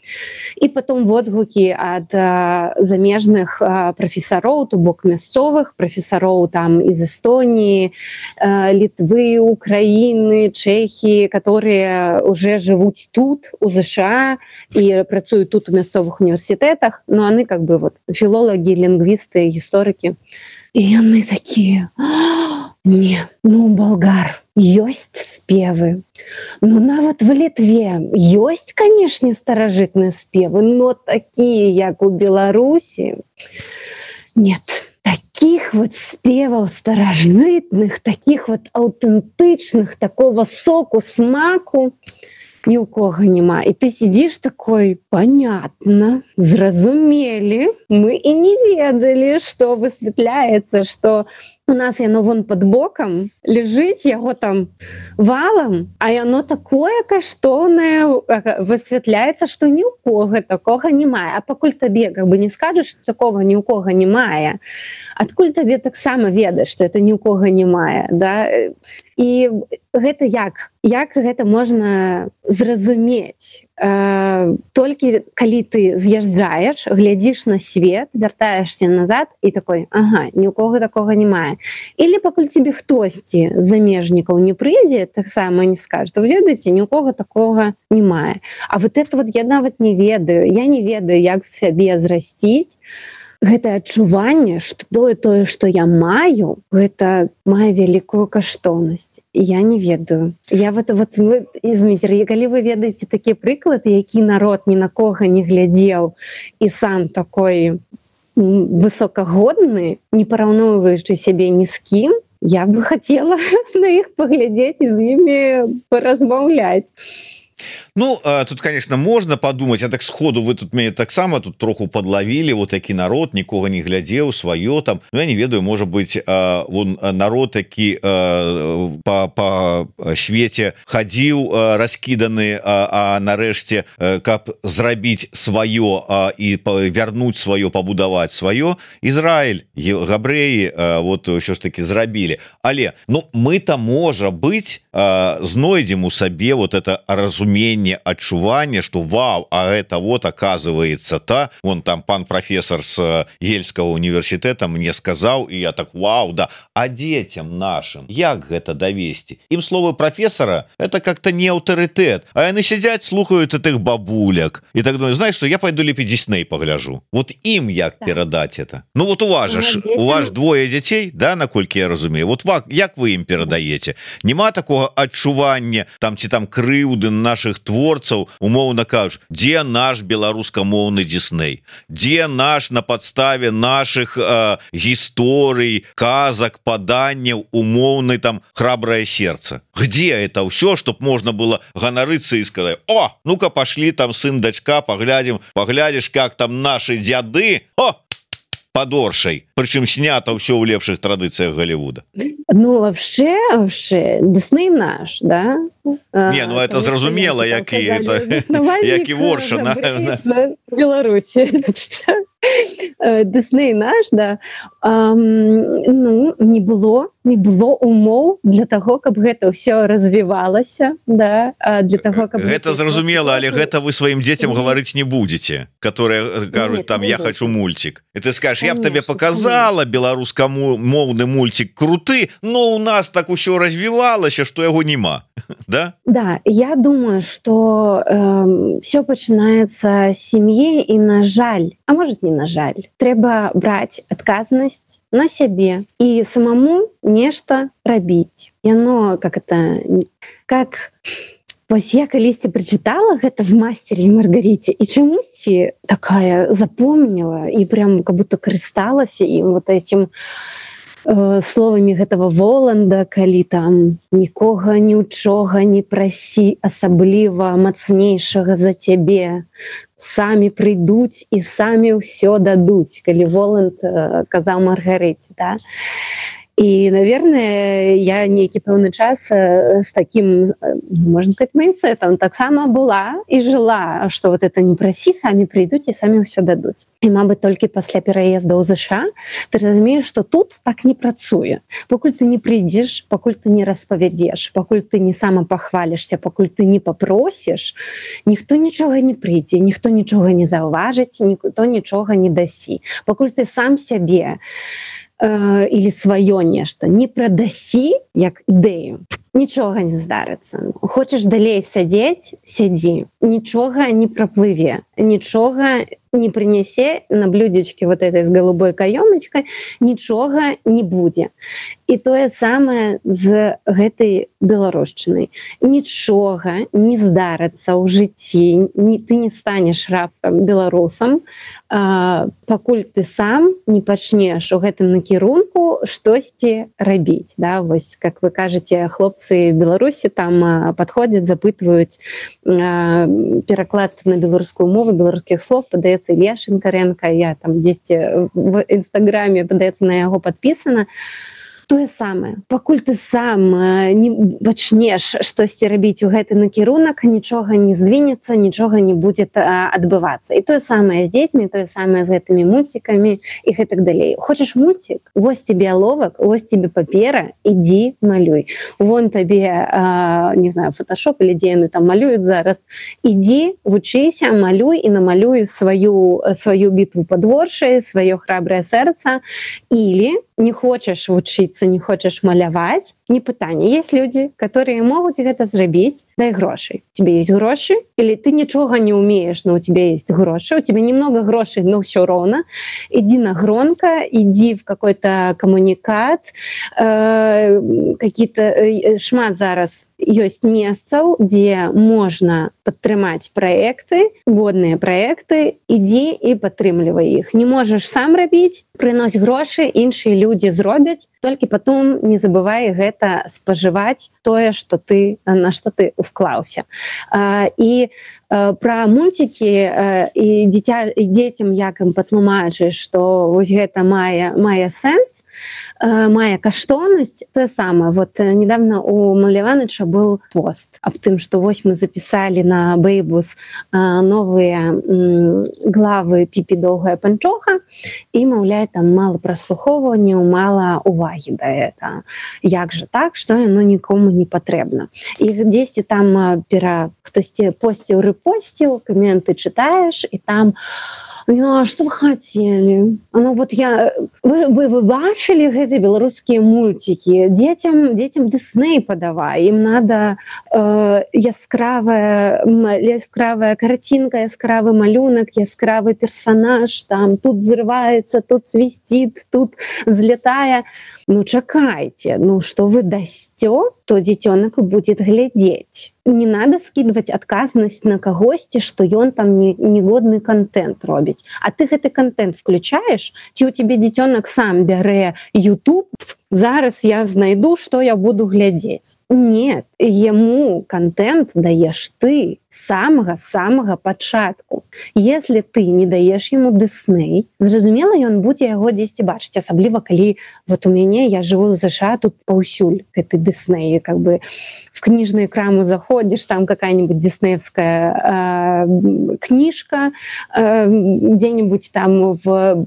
І потом водгукі ад замежных прафесароў, то бок мясцовых прафесароў там из Эстонии, Литвы, Украины, Чехии, которые уже живут тут, у США, і працуюць тут у мясцовых універсітэтах, но яны как бы вот філолагі, лінгвісты, гісторыкі. І яны такія: не, ну у болгар ёсць спевы, ну нават в Літве ёсць, канешне, старажытныя спевы, но такія, як у Беларусі, нет. Таких вот спеваў старажытных, таких вот аўтэнтычных, такого соку, смаку ни у кого нема. И ты сидишь такой, понятно, зразумели, мы и не ведали, что высветляется, что у нас яно вон под боком лежыць яго там валом, а яно такое каштоўнае, высвятляецца, што ні ў кого такога не мае. А пакуль табе как бы не скажаш, што такого ні ў кого не мае, адкуль табе таксама ведаць, што это ні ў кого не мае, да? І гэта як гэта можна зразумець? Толькі калі ты з'язджаеш, глядзіш на свет, вяртаешься назад і такой, ага, ні ў кого такога не мае. Или пакуль тебе хтосьці з замежнікаў не прыйдзе, таксама не скажа, вы ведаеце, ні ў кого такога не мае. А вот это вот я нават не ведаю, я не ведаю, як сябе зрасціць, гэта адчуванне, што тое, што я маю, гэта мае вялікую каштоўнасць. Я не ведаю. Я Зміцер, калі вы ведаеце такі прыклад, які народ ні на кого не глядзеў і сам такой высокагодны, не параўноўваючы сябе ні з кім, я бы хацела на іх паглядзець і з імі паразмаўляць. Ну, тут, конечно, можно подумать, а так сходу вы тут мяне таксама тут троху подловили, вот такі народ, нікога не глядзеў, сваё там, ну, я не ведаю, может быть, вон народ, які по свете ходил раскиданы, а нарэшце, каб зрабіць сваё и вернуть сваё, побудовать сваё, Израиль, габрэі, вот ўсё ж таки зрабілі. Але, ну, мы-то, может быть, знойдзем у сабе вот это разумение, адчуванне, что вау, а это вот оказывается вон там пан профессор с Ельского университета мне сказал, и я так вау, да, а детям нашим як гэта давесці? Им слово профессора это как-то не аўтарытэт, а яны сядзяць, слухают этих бабуляк и так думаю, знаешь что, я пойду лепей Дисней погляжу. Вот им як перадать это? Ну вот у вас двое детей, да, наколькі я разумею, вот як вы им перадаете? Нема такого адчування там ці там крыўды наших творцаў, умоўна кажуць, дзе наш беларускамоўны Дисней, дзе наш на падставе наших гісторый, казак, паданняў умоўны там храброе сердце, где это все, чтоб можно было ганарыцца и сказать, о, ну-ка пошли там сын, дочка, поглядишь, как там наши дзяды, о, подоршай, причем снято все в лепших традициях Голливуда. Ну вообще Дисней наш, да? Не, ну это зразумела, як і ворша на Беларусі. Дисней наш, да. Ну, не было умоў для того, каб гэта ўсё развівалася, да, для того, каб гэта зразумела, але гэта вы сваім дзецям гаварыць не будете, которые кажуць там я хочу мультик. И ты скажешь, я б тебе показала беларускамоўны мультик круты, но у нас так усё развівалася, что яго нема. Да? Да, я думаю, что все пачынаецца з сям'і, і на жаль, а может не на жаль, трэба браць адказнасць на сябе і самому нешта рабіць. Яно как вось я калісьці прачытала гэта в «Мастере и Маргарите» і чамусьці такая запомнила і прям как будто карысталася ім вот этим словамі гэтага Воланда, калі там нікога нічога не прасі, асабліва мацнейшага за цябе, самі прыйдуць і самі ўсё дадуць, калі Воланд казаў Маргарыце, да? И, наверное, я нейкі пэўны час с таким, можно сказать, майндсетом таксама была и жила, что вот это не прасі, самі прыйдуць і самі ўсё дадуць. І, мабыць, толькі пасля пераезда ў ЗША ты разумееш, что тут так не працуе. Пакуль ты не прыйдзеш, пакуль ты не распавядзеш, пакуль ты не самапахвалішся, пакуль ты не папросіш, ніхто нічога не прыйдзе, ніхто нічога не заўважыць, ніхто нічога не дасі. Пакуль ты сам сябе или сваё нешта не прадасі як ідэю, нічога не здарыцца. Хочаш далей сядзець, сядзі, нічога не праплыве, нічога не прынясе на блюдечке вот этой с голубой каёмачкой, нічога не будзе. І тое самае з гэтай беларушчынай. Нічога не здарыцца ў жыцці, ты не станеш раптам беларусам, пакуль ты сам не пачнеш у гэтым накірунку рабіў штосьці рабіць, да? Вось, как вы кажаце, хлопцы Беларусі там падходзяць, запытваюць пераклад на беларускую мову беларускіх слов, падаецца Ілья Шинкаренко, я там дзесьці в інстаграме, падаецца, на яго падпісана. Тое самае, пакуль ты сам не пачнеш штосьці рабіць у гэты накірунак, нічога не здвінецца, нічога не будзе адбывацца. І тое самае з дзецьмі, тое самае з гэтымі мульцікамі і гэтак далей. Хочаш мульцік? Вось тебе аловак, вось тебе папера, ідзі малюй. Вон табе, не знаю, фотошоп или дзе яны там малююць зараз. Ідзі, вучыся, малюй і намалюй сваю бітву падворшай, сваё храбрае сэрца. Или не хочаш вучыцца, не хочаш маляваць, не пытанне. Есть люди, которые могуць гэта зрабіць, дай грошай. У тебя есть грошы, или ты нічога не умеешь, но у тебя есть грошы, у тебя немного грошей, но все ровно. Иди на громко, иди в какой-то коммуникат, какие-то шмат зараз ёсць месцаў, дзе можна падтрымаць праекты, годныя праекты, ідзі і падтрымлівай іх. Не можаш сам рабіць, прынось грошы, іншыя людзі зробяць, толькі потом не забывай гэта спажываць тое, што ты, на што ты уклаўся. І пра мульцікі і дзецям як ім патлумачыш, што вось гэта мае сэнс, мае каштоўнасць, тое самае. Вот недавно у Маляваныча был пост аб тым, што вось мы запісалі на Бэйбус новыя главы Піпі доўгая панчоха, і, маўляе, там мала праслухоўванняў, мала увагі да гэта. Як жа так, што яно нікому не патрэбна. І дзесьці там хтосьці посціў рэпосціў, каменты чытаеш, і там ну, а что вы хотели? Ну, вот вы бачили гэты беларускія мультики? Детям Дисней подавай. Им надо яскравая картинка, яскравый малюнок, яскравый персонаж. Там тут взрывается, тут свистит, тут взлетая. Ну, чакайте. Ну, что вы дасте, то дзіцёнак будет глядеть. Не надо скидывать адказнасць на кагосьці, што ён там негодны контент робіць. А ты гэты контент включаешь, ці у тебе дзіцёнак сам бярэ YouTube, зараз я знайду, што я буду глядзець. Нет, яму контент даеш ты з самага пачатку. Если ты не даеш яму Дисней, зразумела, ён будзе яго дзесьці бачыць, асабліва калі вот у мяне, я жыву ў США, тут паўсюль гэты Дисней, как бы в книжную краму заходишь, там какая-нибудь диснеевская книжка, где-нибудь там в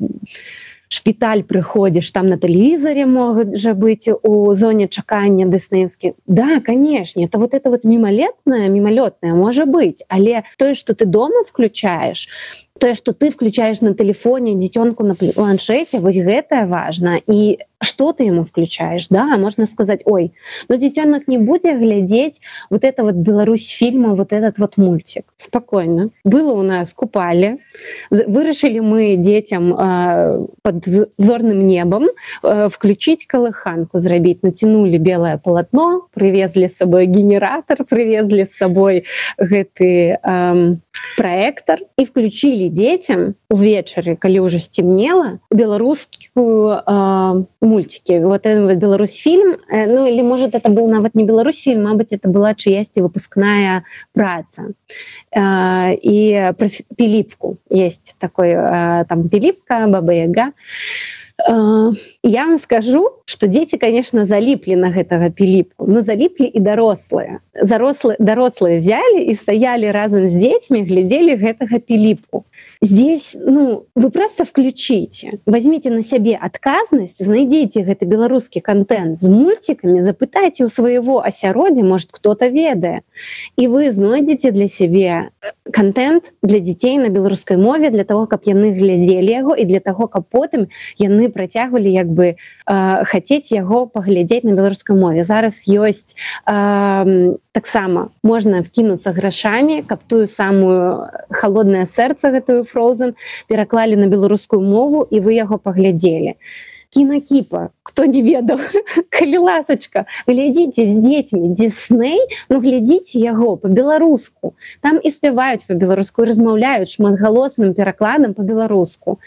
шпіталь прыходзіш, там на тэлевізоре могуць жа быць у зоне чакання дыснеевскі. Да, конечно, это вот мимолетное можа быць, але тое, што ты дома включаешь, тое, што ты включаешь на телефоне дзіцёнку на планшете, вось гэтае важна. І что ты ему включаешь, да, можно сказать, ой, но дзіцёнак не будзе глядзець вот это вот Беларусь фильма, вот этот вот мультик. Спокойно. Было у нас купали, вырашили мы детям под зорным небом включить колыханку, зрабіць, натянули белое полотно, привезли с собой генератор, привезли с собой гэты проектор и включили детям увечары, калі уже сцемнела, беларускую мультики. Вот этот Беларусь фильм, ну или может это был нават не Беларусь фильм, мабыць, это была чыясьці выпускная праца. И про Пилипку есть такой, там Пилипка, Баба Яга. Я вам скажу, что дети, конечно, залипли на гэтага Пилипку, но залипли и дорослые. Дорослые взяли и стояли разом с детьми, глядели гэтага Пилипку. Здесь, ну, вы просто включите, возьмите на себе адказнасць, знайдите гэты беларускі контент с мультиками, запытайте у своего асяроддзя, может, кто-то ведае, и вы знойдете для себе контент для детей на беларускай мове, для того, каб яны глядзелі яго, и для того, каб потым яны працягвалі як бы хацець яго паглядзець на беларускай мове. Зараз ёсць таксама можна вкінуцца грашамі, каб тую самую холоднае сэрца, гэтую Frozen, пераклалі на беларускую мову, і вы яго паглядзелі. Кинокипа, кто не ведал, калі ласачка, глядзіце з дзецьмі Дисней, ну глядзіце яго по-беларуску. Там і спяваюць по-беларуску, і размаўляюць шматгалосным перакладам по-беларуску.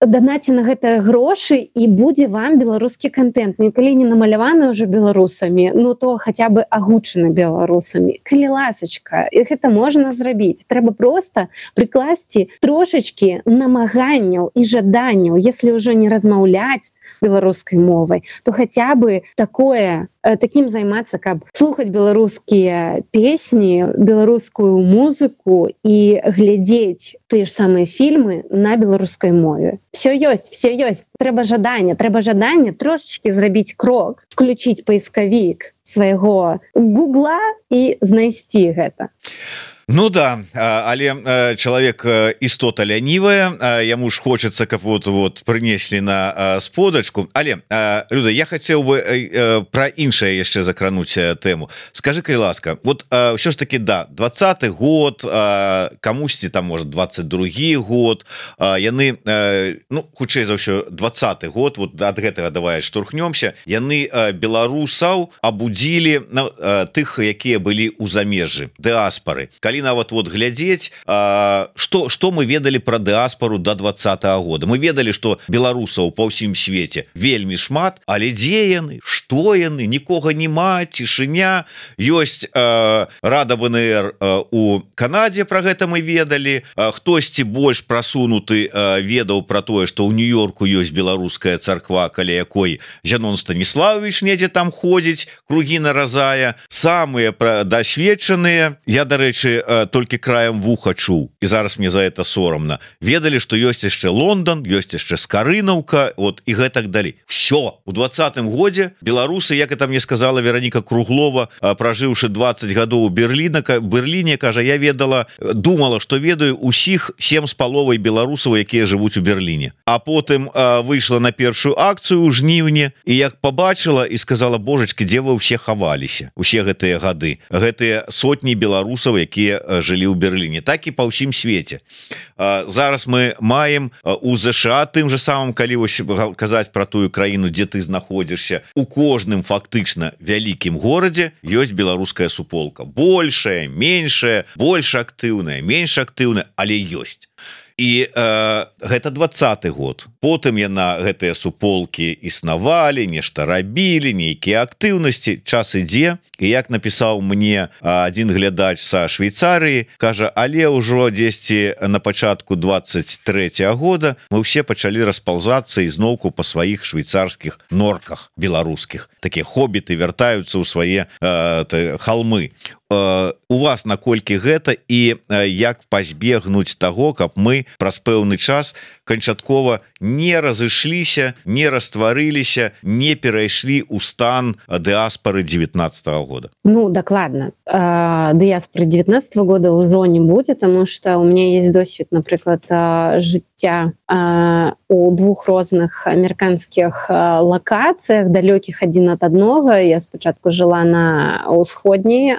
данаце на гэта грошы і будзе вам беларускі контент. Ну, калі не намаляваны ўжо беларусамі, ну то хаця бы агучаны беларусамі. Калі ласачка, і гэта можна зрабіць. Трэба проста прыкласці трошачкі намаганняў і жаданняў. Если ўжо не размаўляць беларускай мовай, то хаця бы такім займацца, каб слухаць беларускія песні, беларускую музыку і глядзець тыя ж самыя фільмы на беларускай мове. Все ёсць. Трэба жаданне трошечки зрабіць крок, включіць паіскавік свайго Гугла і знайсці гэта. Ну да, але чалавек істота лянівая, яму ж хочацца, каб вот прынеслі на сподачку. Але, Люда, я хацеў бы пра іншае яшчэ закрануць тэму. Скажы, калі ласка, вот ўсё ж таки, да, 20-й год, камусьці там, можа, 22-й год, яны, ну, хутчэй за ўсё, 20-й год, вот ад гэтага давай штурхнёмся, яны беларусаў абудзілі тых, якія былі ў замежжы, дыаспары. Нават вот глядзець, што мы ведалі пра дыаспару до 20-го года. Мы ведалі, што беларусаў па ўсім свеце вельмі шмат, але дзе яны, што яны, нікога няма, цішыня. Ёсць Рада ВНР у Канадзе, пра гэта мы ведалі. Хтосьці больш прасунуты ведаў пра тое, што ў Нью-Йорку ёсць беларуская царква, каля якой Зянон Станіславович недзе там ходзіць, кругі наразае. Самыя дасведчаныя, я, дарэчы, толькі краем вуха чуў, і зараз мне за это сорамна, ведалі, што ёсць яшчэ Лондан, ёсць яшчэ Скарынаўка, вот, і гэтак далей. Всё, у 20-м годзе беларусы, як это мне сказала Вероніка Круглова, пражыўшы 20 гадоў у Берліне, кажа, я думала, што ведаю усіх 7,5 беларусаў, якія жывуць у Берліне. А потым выйшла на першую акцыю ў жніўні, і як побачыла і сказала, божачкі, дзе вы ўсе хаваліся, усе гэтыя гады, гэтыя сотні беларусаў, якія жылі ў Берліне, так і па ўсім свеце. Зараз мы маем у ЗША, тым же самым, калі казаць пра тую краіну, дзе ты знаходзішся, у кожным фактычна вялікім горадзе ёсць беларуская суполка. Большая, меншая, больш актыўная, менш актыўная, але ёсць. І гэта 20-й год. Потым яна гэтыя суполкі існавалі, нешта рабілі, нейкія актыўнасці, час ідзе. І як напісаў мне адзін глядач са Швейцарыі, кажа, але ўжо дзесьці на пачатку 23-го года мы ўсе пачалі распаўзацца ізноўку па сваіх швейцарскіх норках беларускіх. Такія хобіты вяртаюцца ў свае халмы. У вас наколькі гэта і як пазбегнуць таго, каб мы праз пэўны час канчаткова не разышліся, не растварыліся, не перайшлі ў стан дыаспары 19-го года? Ну, докладно. Дыаспоры 19-го года ўжо не будзе, тому что у меня есть досвед, напрыклад, жыцця у двух розных амерыканскіх лакацыях, далёкіх адзін ад аднога. Я спачатку жыла на ўсходняй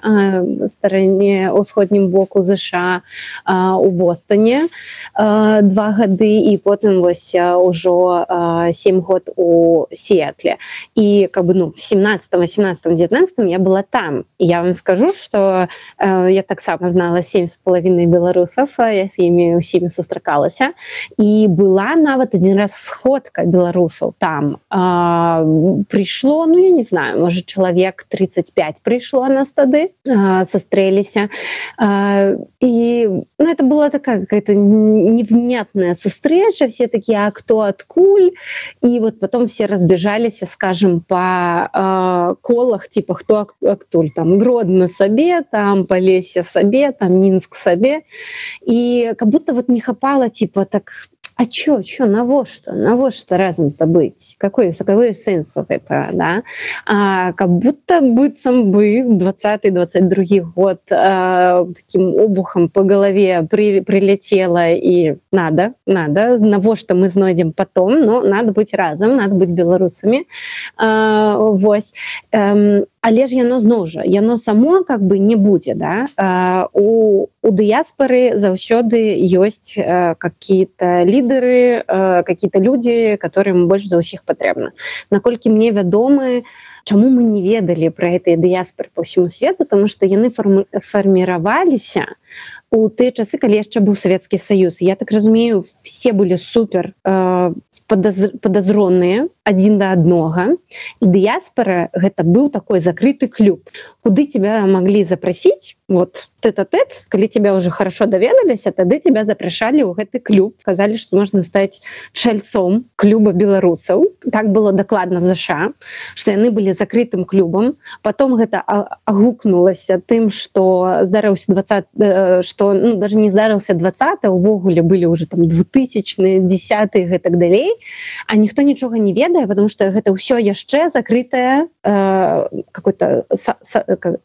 стороне, ўсходнім боку ЗША, у Бостоне 2 гады, і потым вось ўжо 7 год у Сіэтле. І как бы, ну, в 17, 18, 19 я была там. І я вам скажу, что я таксама знала 7,5 беларусаў, я з імі ўсімі сустракалася. І была нават адзін раз сходка беларусаў там. Прыйшло, ну, я не знаю, можа, чалавек 35 прыйшло нас тады, сустрэліся. І, ну, это была такая какая-то невнятная встреча, все такие, а кто откуль? И вот потом все разбежались, скажем, по колах, типа, кто актуль, там, Гродно сабе, там, Полесье сабе, там, Минск сабе. И как будто вот не хапало, типа, так... А чё, навошта разам-то быць? Какой сэнс у гэта, да? Как будто быццам бы 20-22 год таким обухом по голове прилетело, и надо, навошта мы знойдзем потом, но надо быть разом, надо быть беларусамі. Вось. Але ж яно зноў жа, яно само как бы не будзе, да? У дыяспоры заўсёды ёсць какие-то лидеры, какие-то люди, которым больш за ўсіх патрэбна. Наколькі мне вядомы, чаму мы не ведалі пра гэтыя дыяспоры по ўсяму свету, тому што яны фарміраваліся у тыя часы, калі яшчэ быў Савецкі Саюз. Я так разумею, все былі супер падазроныя адзін да аднога, і дыяспора гэта быў такой закрыты клуб, куды тебя маглі запрасіць, вот тэт-а-тэт, калі тебя уже хорошо даведаліся, тады тебя запрашалі ў гэты клуб, казалі, што можна стаць чальцом клуба беларусаў. Так было дакладна в ЗША, што яны былі закрытым клубам. Потом гэта агукнулася тым, што здарыўся 20, што даже не здарыўся 20, увогуле былі уже там 2000-е, 10-е, гэтак далей, а ніхто нічога не ведае, потому что гэта ўсё яшчэ закрытае какое-то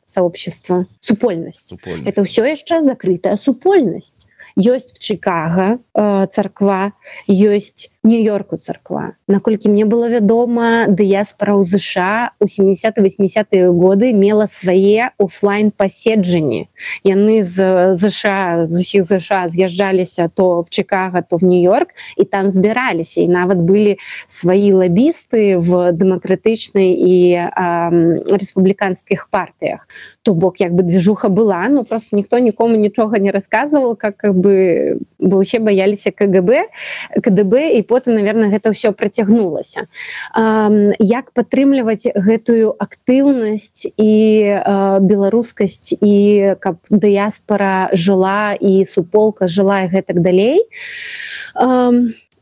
сообщество, супольнасць. Это ўсё яшчэ закрытая супольнасць. Ёсць в Чикаго царква, ёсць Нью-Йорку царква. Наколькі мне было вядома, дыяспора ў ЗША у 70-80-е годы мела свае офлайн паседжанні. Яны з ЗША, з усіх ЗША з'язджаліся то в Чикаго, то в Нью-Йорк, і там збіраліся. І нават былі свае лабісты в дэмакратычнай і рэспубліканскіх партыях. То бок, як бы движуха была, но просто ніхто нікому нічога не расказваў, как бы, бо ўсе баяліся КДБ, і потым, наверное, гэта ўсё працягнулася. Як падтрымліваць гэтую актыўнасць і беларускасць, і каб дыяспора жыла, і суполка жыла, і гэтак далей.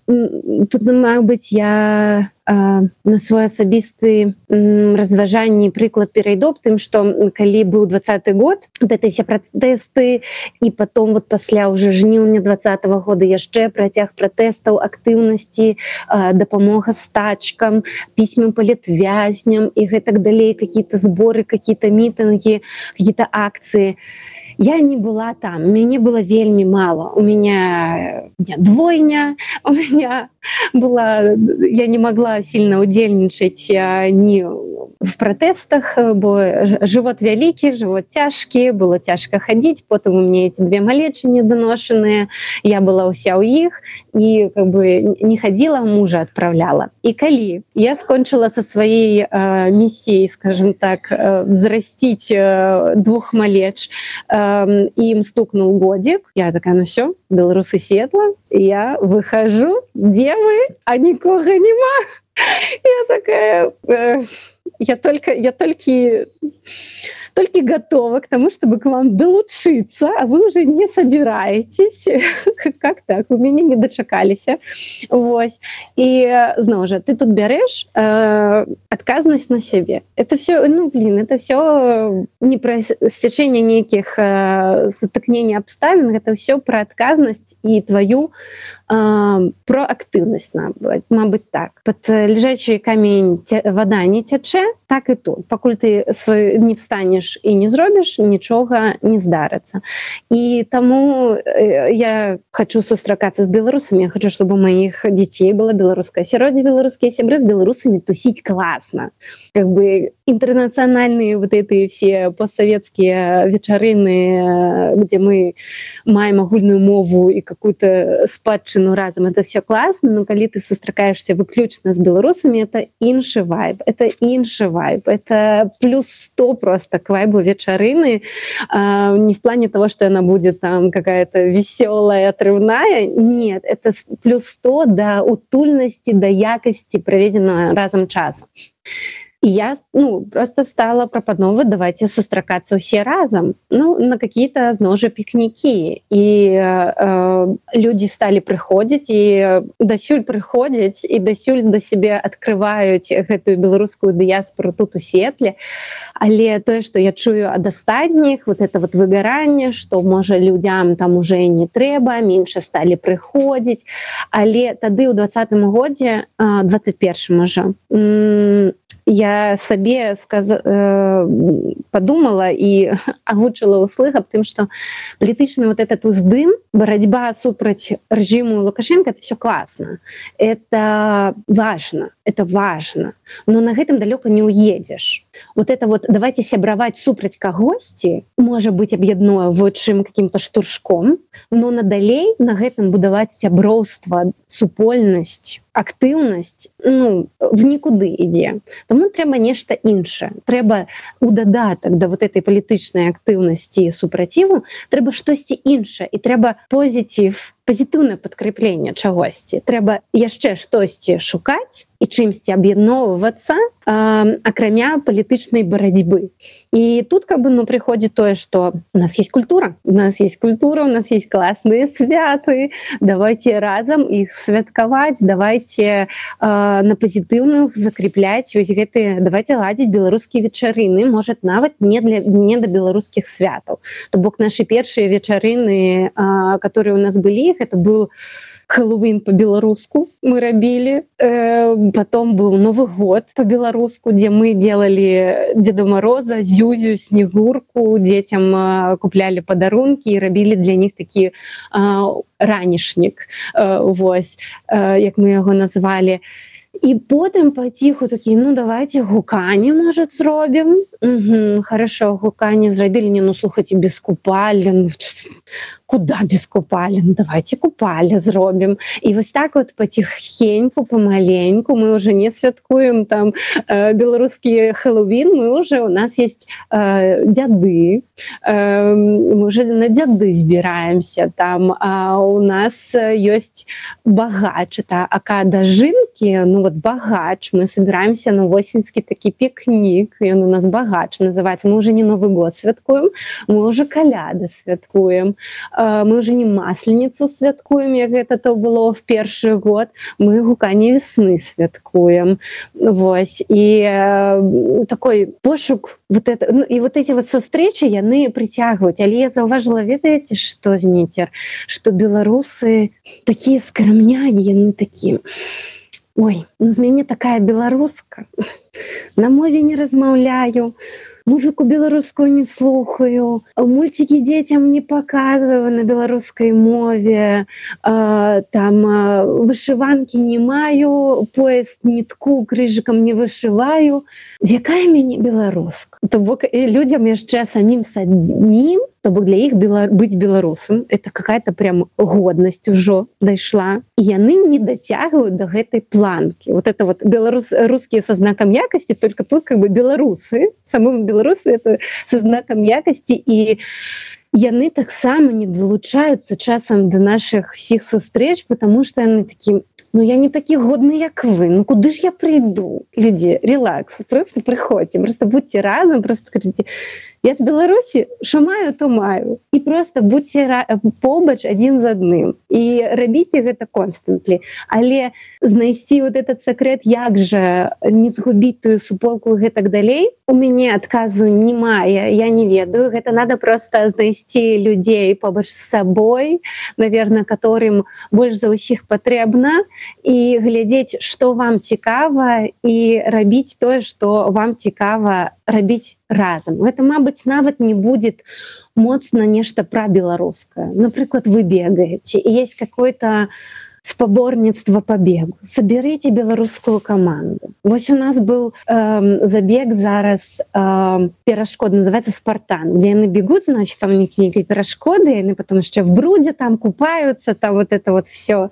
Тут, мабыць, я на свой асабісты разважанні прыклад перайду тым, што калі быў 20-й год, вот это все пратэсты, і потом вот пасля уже жніўня 20-го года яшчэ працяг пратэстаў, актыўнасці, дапамога стачкам, пісьмы палітвязням і гэтак далей, какие-то сборы, какие-то мітынгі, какие-то акцыі. Я не была там, мяне было вельмі мало. У меня двойня, у меня была, я не могла сильно удзельнічаць ни в протестах, бо живот вялікі, живот цяжкі, было цяжка хадзіць, потым у меня эти 2 малечы недоношаныя, я была ўся ў іх, і как бы не хадзіла, мужа адпраўляла. І калі я скончыла со сваей миссией, скажем так, взрастить 2 малеч, им стукнул годик, я такая, ну все, белорусы светла, я выхожу, где вы? А никого нема. Я такая, я только готова к тому, чтобы к вам долучиться, а вы уже не собираетесь. Как так? Вы меня не дочакаліся. Вось. І зноў жа, ты тут бярэш адказнасць на сябе. Это все, это все не про сцячэнне нейкіх сутыкнення абставін, это все про адказнасць і твою проактыўнасць, мабыць, так. Под лежачий камень вода не цячэ, так і тут. Пакуль ты не встанеш і не зробіш, нічога не здарыцца. І таму я хочу сустракацца з беларусамі, я хочу, чтобы у моих детей было беларускае асяроддзе, беларускія сябры, з беларусамі тусить классно. Как бы интернациональные вот эти все постсоветские вечарыны, где мы маем агульную мову и какую-то спадчыну разом, это все классно, но калі ты сустракаешься выключна з беларусамі, это іншы вайб, это плюс 100 просто к вайбу вечарыны, не в плане того, что она будет там какая-то веселая, отрывная, нет, это плюс 100 до утульности, до якости проведенного разом часу. И я просто стала прапановывать, давайте сустракацца ўсе разом, на какие-то зноў жа пікнікі. І люди стали прыходзіць, і дасюль прыходзяць, і дасюль да сябе адкрываюць гэтую беларускую дыяспору тут у Сетле. Але тое, што я чую ад астатніх, вот это вот выгаранне, што, можа, людзям там уже не трэба, менш сталі прыходзіць. Але тады ў 20-м годзе, 21-м можа, я сабе подумала и агучила услых об тым, что палітычны вот этот уздым, борьба супраць режиму Лукашенко, это все классно, это важно, но на гэтым далёка не уедешь. вот это вот давайте сябраваць супраць кагосьці можа быць аб'ядное вочым каким-то штуршком, но надалей на гэтым будаваць сяброўства, супольнасць, актыўнасць, в нікуды ідзе. Таму трэба нешта іншае. Трэба у дадатак да вот этой палітычнай актыўнасці і супраціву трэба штосьці іншае, і трэба пазітыўнае падкрэпленне чагосьці. Трэба яшчэ штосьці шукаць і чымсьці аб'ядноўвацца, акрамя палітычнай барацьбы. І тут прыходзіць тое, што у нас есть культура, у нас есть класныя святы, давайте разам іх святкаваць, давайте на пазітыўных закрепляць вось гэтыя, давайте ладзіць беларускія вечарыны, можа нават не да беларускіх святаў. То бок нашы першыя вечарыны, которые у нас былі, это был Хэллоуін по-беларуску мы рабілі, потом был Новый год по-беларуску, где мы делали Деда Мороза, Зюзю, Снегурку, детям купляли подарунки и рабілі для них такі ранішнік, вось, як мы яго назвалі. І потым паціху такі, давайте гуканне, можа, зробім. Хорошо, гуканне зрабілі, слухайце, без купалі. Куда без купалі? Давайте купалі зробім. І вось так вот паціхеньку, помаленьку, мы уже не святкуем там беларускі Хэллоуін, у нас есть дзяды, мы уже на дзяды збіраемся там, а у нас ёсць багач, это ака дажынкі, багач, мы собираемся на восеньскі такі пікнік, ён у нас багач называется, мы уже не Новый год святкуем, мы уже каляды святкуем, мы уже не масленицу святкуем, як гэта то было в першы год, мы гуканне весны святкуем. Вось. І такой пошук, і вот эти вот сустрэчы, яны прыцягваюць. Але я заўважыла, ведаеце, што, Зміцер, што беларусы такія скрамнягі, яны такі... Ой, з мяне такая беларуска, на мове не размаўляю, музыку беларускую не слухаю, мультики детям не показываю на беларускай мове, там вышиванки не маю, пояс нітку крыжыкам не вышываю. Якая мяне беларуска? То бок людям яшчэ самим то бок для іх быць беларусам это какая-то прям годнасць ужо дайшла. І яны не дацягваюць до гэтай планкі. Вот это вот русские со знаком якости, только тут беларусы, самым беларусы это со знаком якости, і яны таксама не далучаюцца часам до наших всіх сустрэч, потому что яны такі, я не такі годны, як вы, куды ж я прыйду? Людзі, релакс, просто прыходзьце, просто будьте разом, просто кажыце, я з Беларусі, що маю, то маю. І просто будьте побач адзін з адным. І рабіце гэта константли. Але знайсці вот этот секрет, як жа не згубіць тую суполку і гэтак далей, у мяне адказу немає, я не ведаю. Гэта надо просто знайсці людзей побач з сабой, наверное, которым больш за ўсіх патрэбна, і глядзець, што вам цікава, і рабіць тое, што вам цікава рабіць разом. Это, мабыць, нават не будет моцна нешта пра беларускае. Напрыклад, вы бегаете, и есть какое-то спаборніцтва по бегу. Соберите беларускую команду. Вось у нас был забег зараз перашкод, называется «Спартан», где яны бегут, значит, там у них некие перашкоды, и они потом еще в бруде там купаются, там вот это вот все.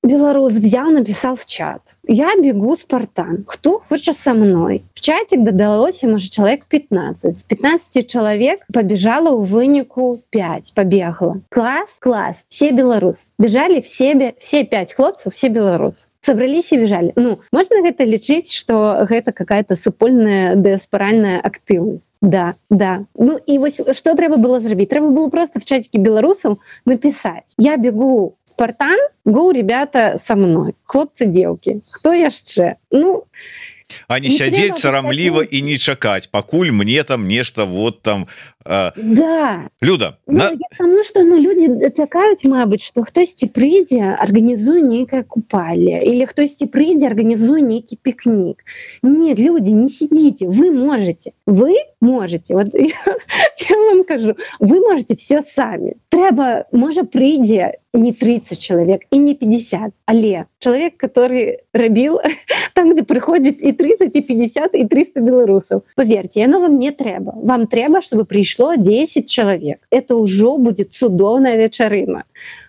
Белорус взял, написал в чат: я бегу «Спартан, кто хочет со мной?» В чатик додалось, может, человек 15. С 15 человек побежало у вынику 5, побегало. Класс, все белорус. Бежали все 5 хлопцев, все белорус. Собрались и бежали. Можно гэта лічыць, что гэта какая-то супольная дыаспоральная актыўнасць. Да. И вот что трэба было зрабіць? Трэба было просто в чатике белорусов написать: я бегу «Спартан, гоу, ребята, со мной. Хлопцы, девки. Кто яшчэ?» А не сядзець сарамліва і не чакаць, пакуль мне там нешта вот там. Да. Люда, потому что люди чакаюць, мабыць, что хтосьці прыйдзе, арганізуе нейкае купалле, или хтосьці прыйдзе, арганізуе нейкі пікнік. Нет, люди, не сидите, вы можете. Вот я вам кажу, вы можете все сами. Трэба, можа, прыйдзе не 30 человек и не 50, але человек, который рабіў там, где прыходзіць і 30, и 50, и 300 белорусов. Поверьте, яно вам не трэба. Вам трэба, чтобы пришло 10 человек. Это уже будет цудоўная вечарына.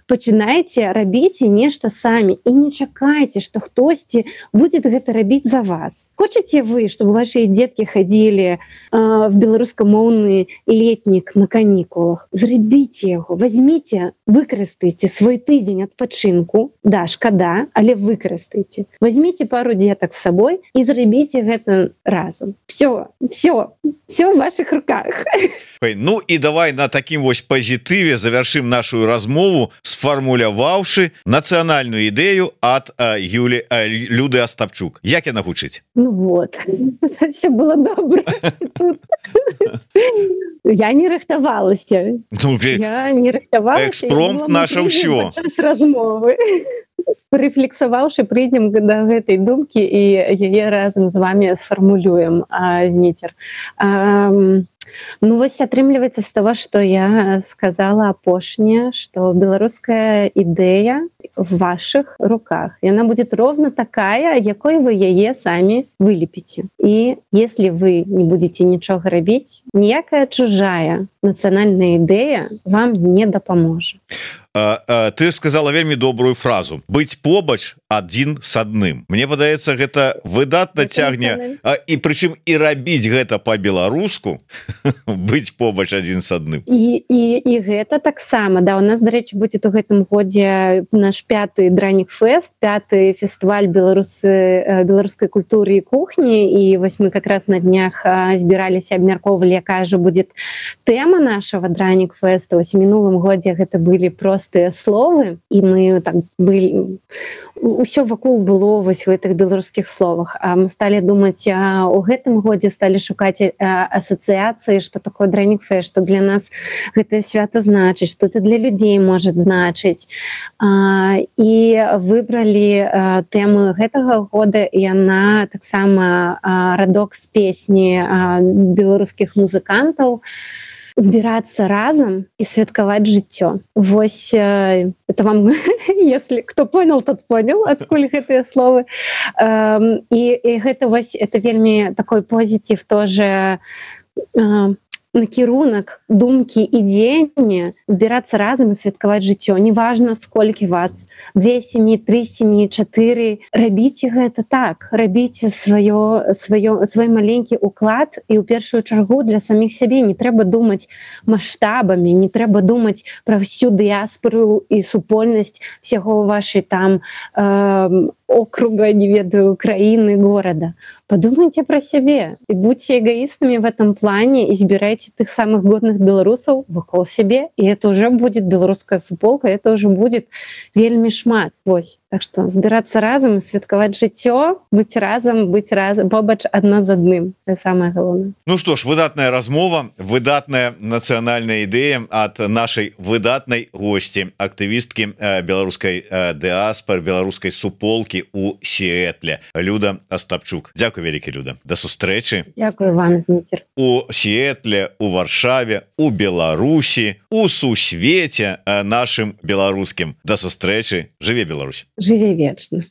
Пачынайце рабіце нешта самі і не чакайце, што хтосьці будзе гэта рабіць за вас. Хочаце вы, чтобы ваши дзеткі хадзілі в беларускамоўны летнік на канікулах? Зрабіце яго, возьмите, выкарыстайце свой тыдзень адпачынку. Да, шкада, але выкарыстайце. Возьмите пару дзетак з сабой і зрабіце гэта разам. Все в ваших руках. Ну і давай на такім вось пазітыве завершым нашу размову, сфармуляваўшы нацыянальную ідэю ад Люды Астапчук. Як яна гучыць? Ну вот, все было добра. Я не рыхтавалася. Я не рыхтавалася. Экспромт наша ўсё. Падчас размовы. Рэфлексаваўшы, прыйдзем да гэтай думкі і яе разам з вами сфармулюем, Зміцер. Ну вось атрымліваецца з того, што я сказала апошняе, што беларуская ідэя в ваших руках. Яна будет ровно такая, якой вы яе самі вылепіце. І если вы не будете нічога рабіць, ніякая чужая нацыянальная ідэя вам не дапаможа. Ты сказала вельмі добрую фразу: быць побач адзін с адным. Мне падаецца, гэта выдатна цягне, і прычым і рабіць гэта по-беларуску, быць побач адзін с адным. І гэта таксама, да, у нас, дарэчы, будзе у гэтым годзе наш 5-й Дранік фест, 5-й фестываль беларускай культуры і кухні, і вось мы как раз на днях збіраліся, абмяркоўвалі, якая же будет тэма нашего Дранік феста. Вось у мінулым годзе гэта былі простыя словы, і мы так былі, усё вакол было вось в гэтых беларускіх словах. А мы сталі думаць, у гэтым годзе сталі шукаць асацыяцыі, што такое Дранік фест, што для нас гэтае свята значыць, што это для людзей можа значыць. І выбралі тэму гэтага года, і яна таксама радок з песні беларускіх музыкантаў збирацца разам і святкаваць жыццё. Вось это вам, если кто понял, тот понял, адкуль гэтыя словы. І гэта вось, это вельмі такой позитив тоже, накірунак думкі і дзеяння, збірацца разам і святкаваць жыццё. Неважна, сколькі вас, 2 сям'і, 3 сям'і, 4. Рабіце гэта так. Рабіце свой маленькі уклад, і ў першую чаргу для саміх сябе. Не трэба думаць маштабамі, не трэба думаць пра всю дыяспору і супольнасць всяго вашай там округа, не ведаю, краіны, горада. Подумайте про сябе і будьте эгоистами в этом плане, і збірайце тых самых годных беларусаў вакол сябе, і это уже будет беларуская суполка, это уже будет вельмі шмат. Вось. Так что збирацца разам і святкаваць жыццё, быць разам, побач адно з адным. Это самое галоўнае. Ну что ж, выдатная размова, выдатная нацыянальная ідэя ад нашай выдатнай госці, актывісткі беларускай дыаспоры, беларускай суполкі у Сіэтле, Люда Астапчук. Дзякуй вялікі, Люда. Да сустрэчы. Дзякуй вам, Зміцер. У Сіэтле, у Варшаве, у Беларусі, у сусвеце нашым беларускім. Да сустрэчы. Жыве Беларусь. Жыве вечна.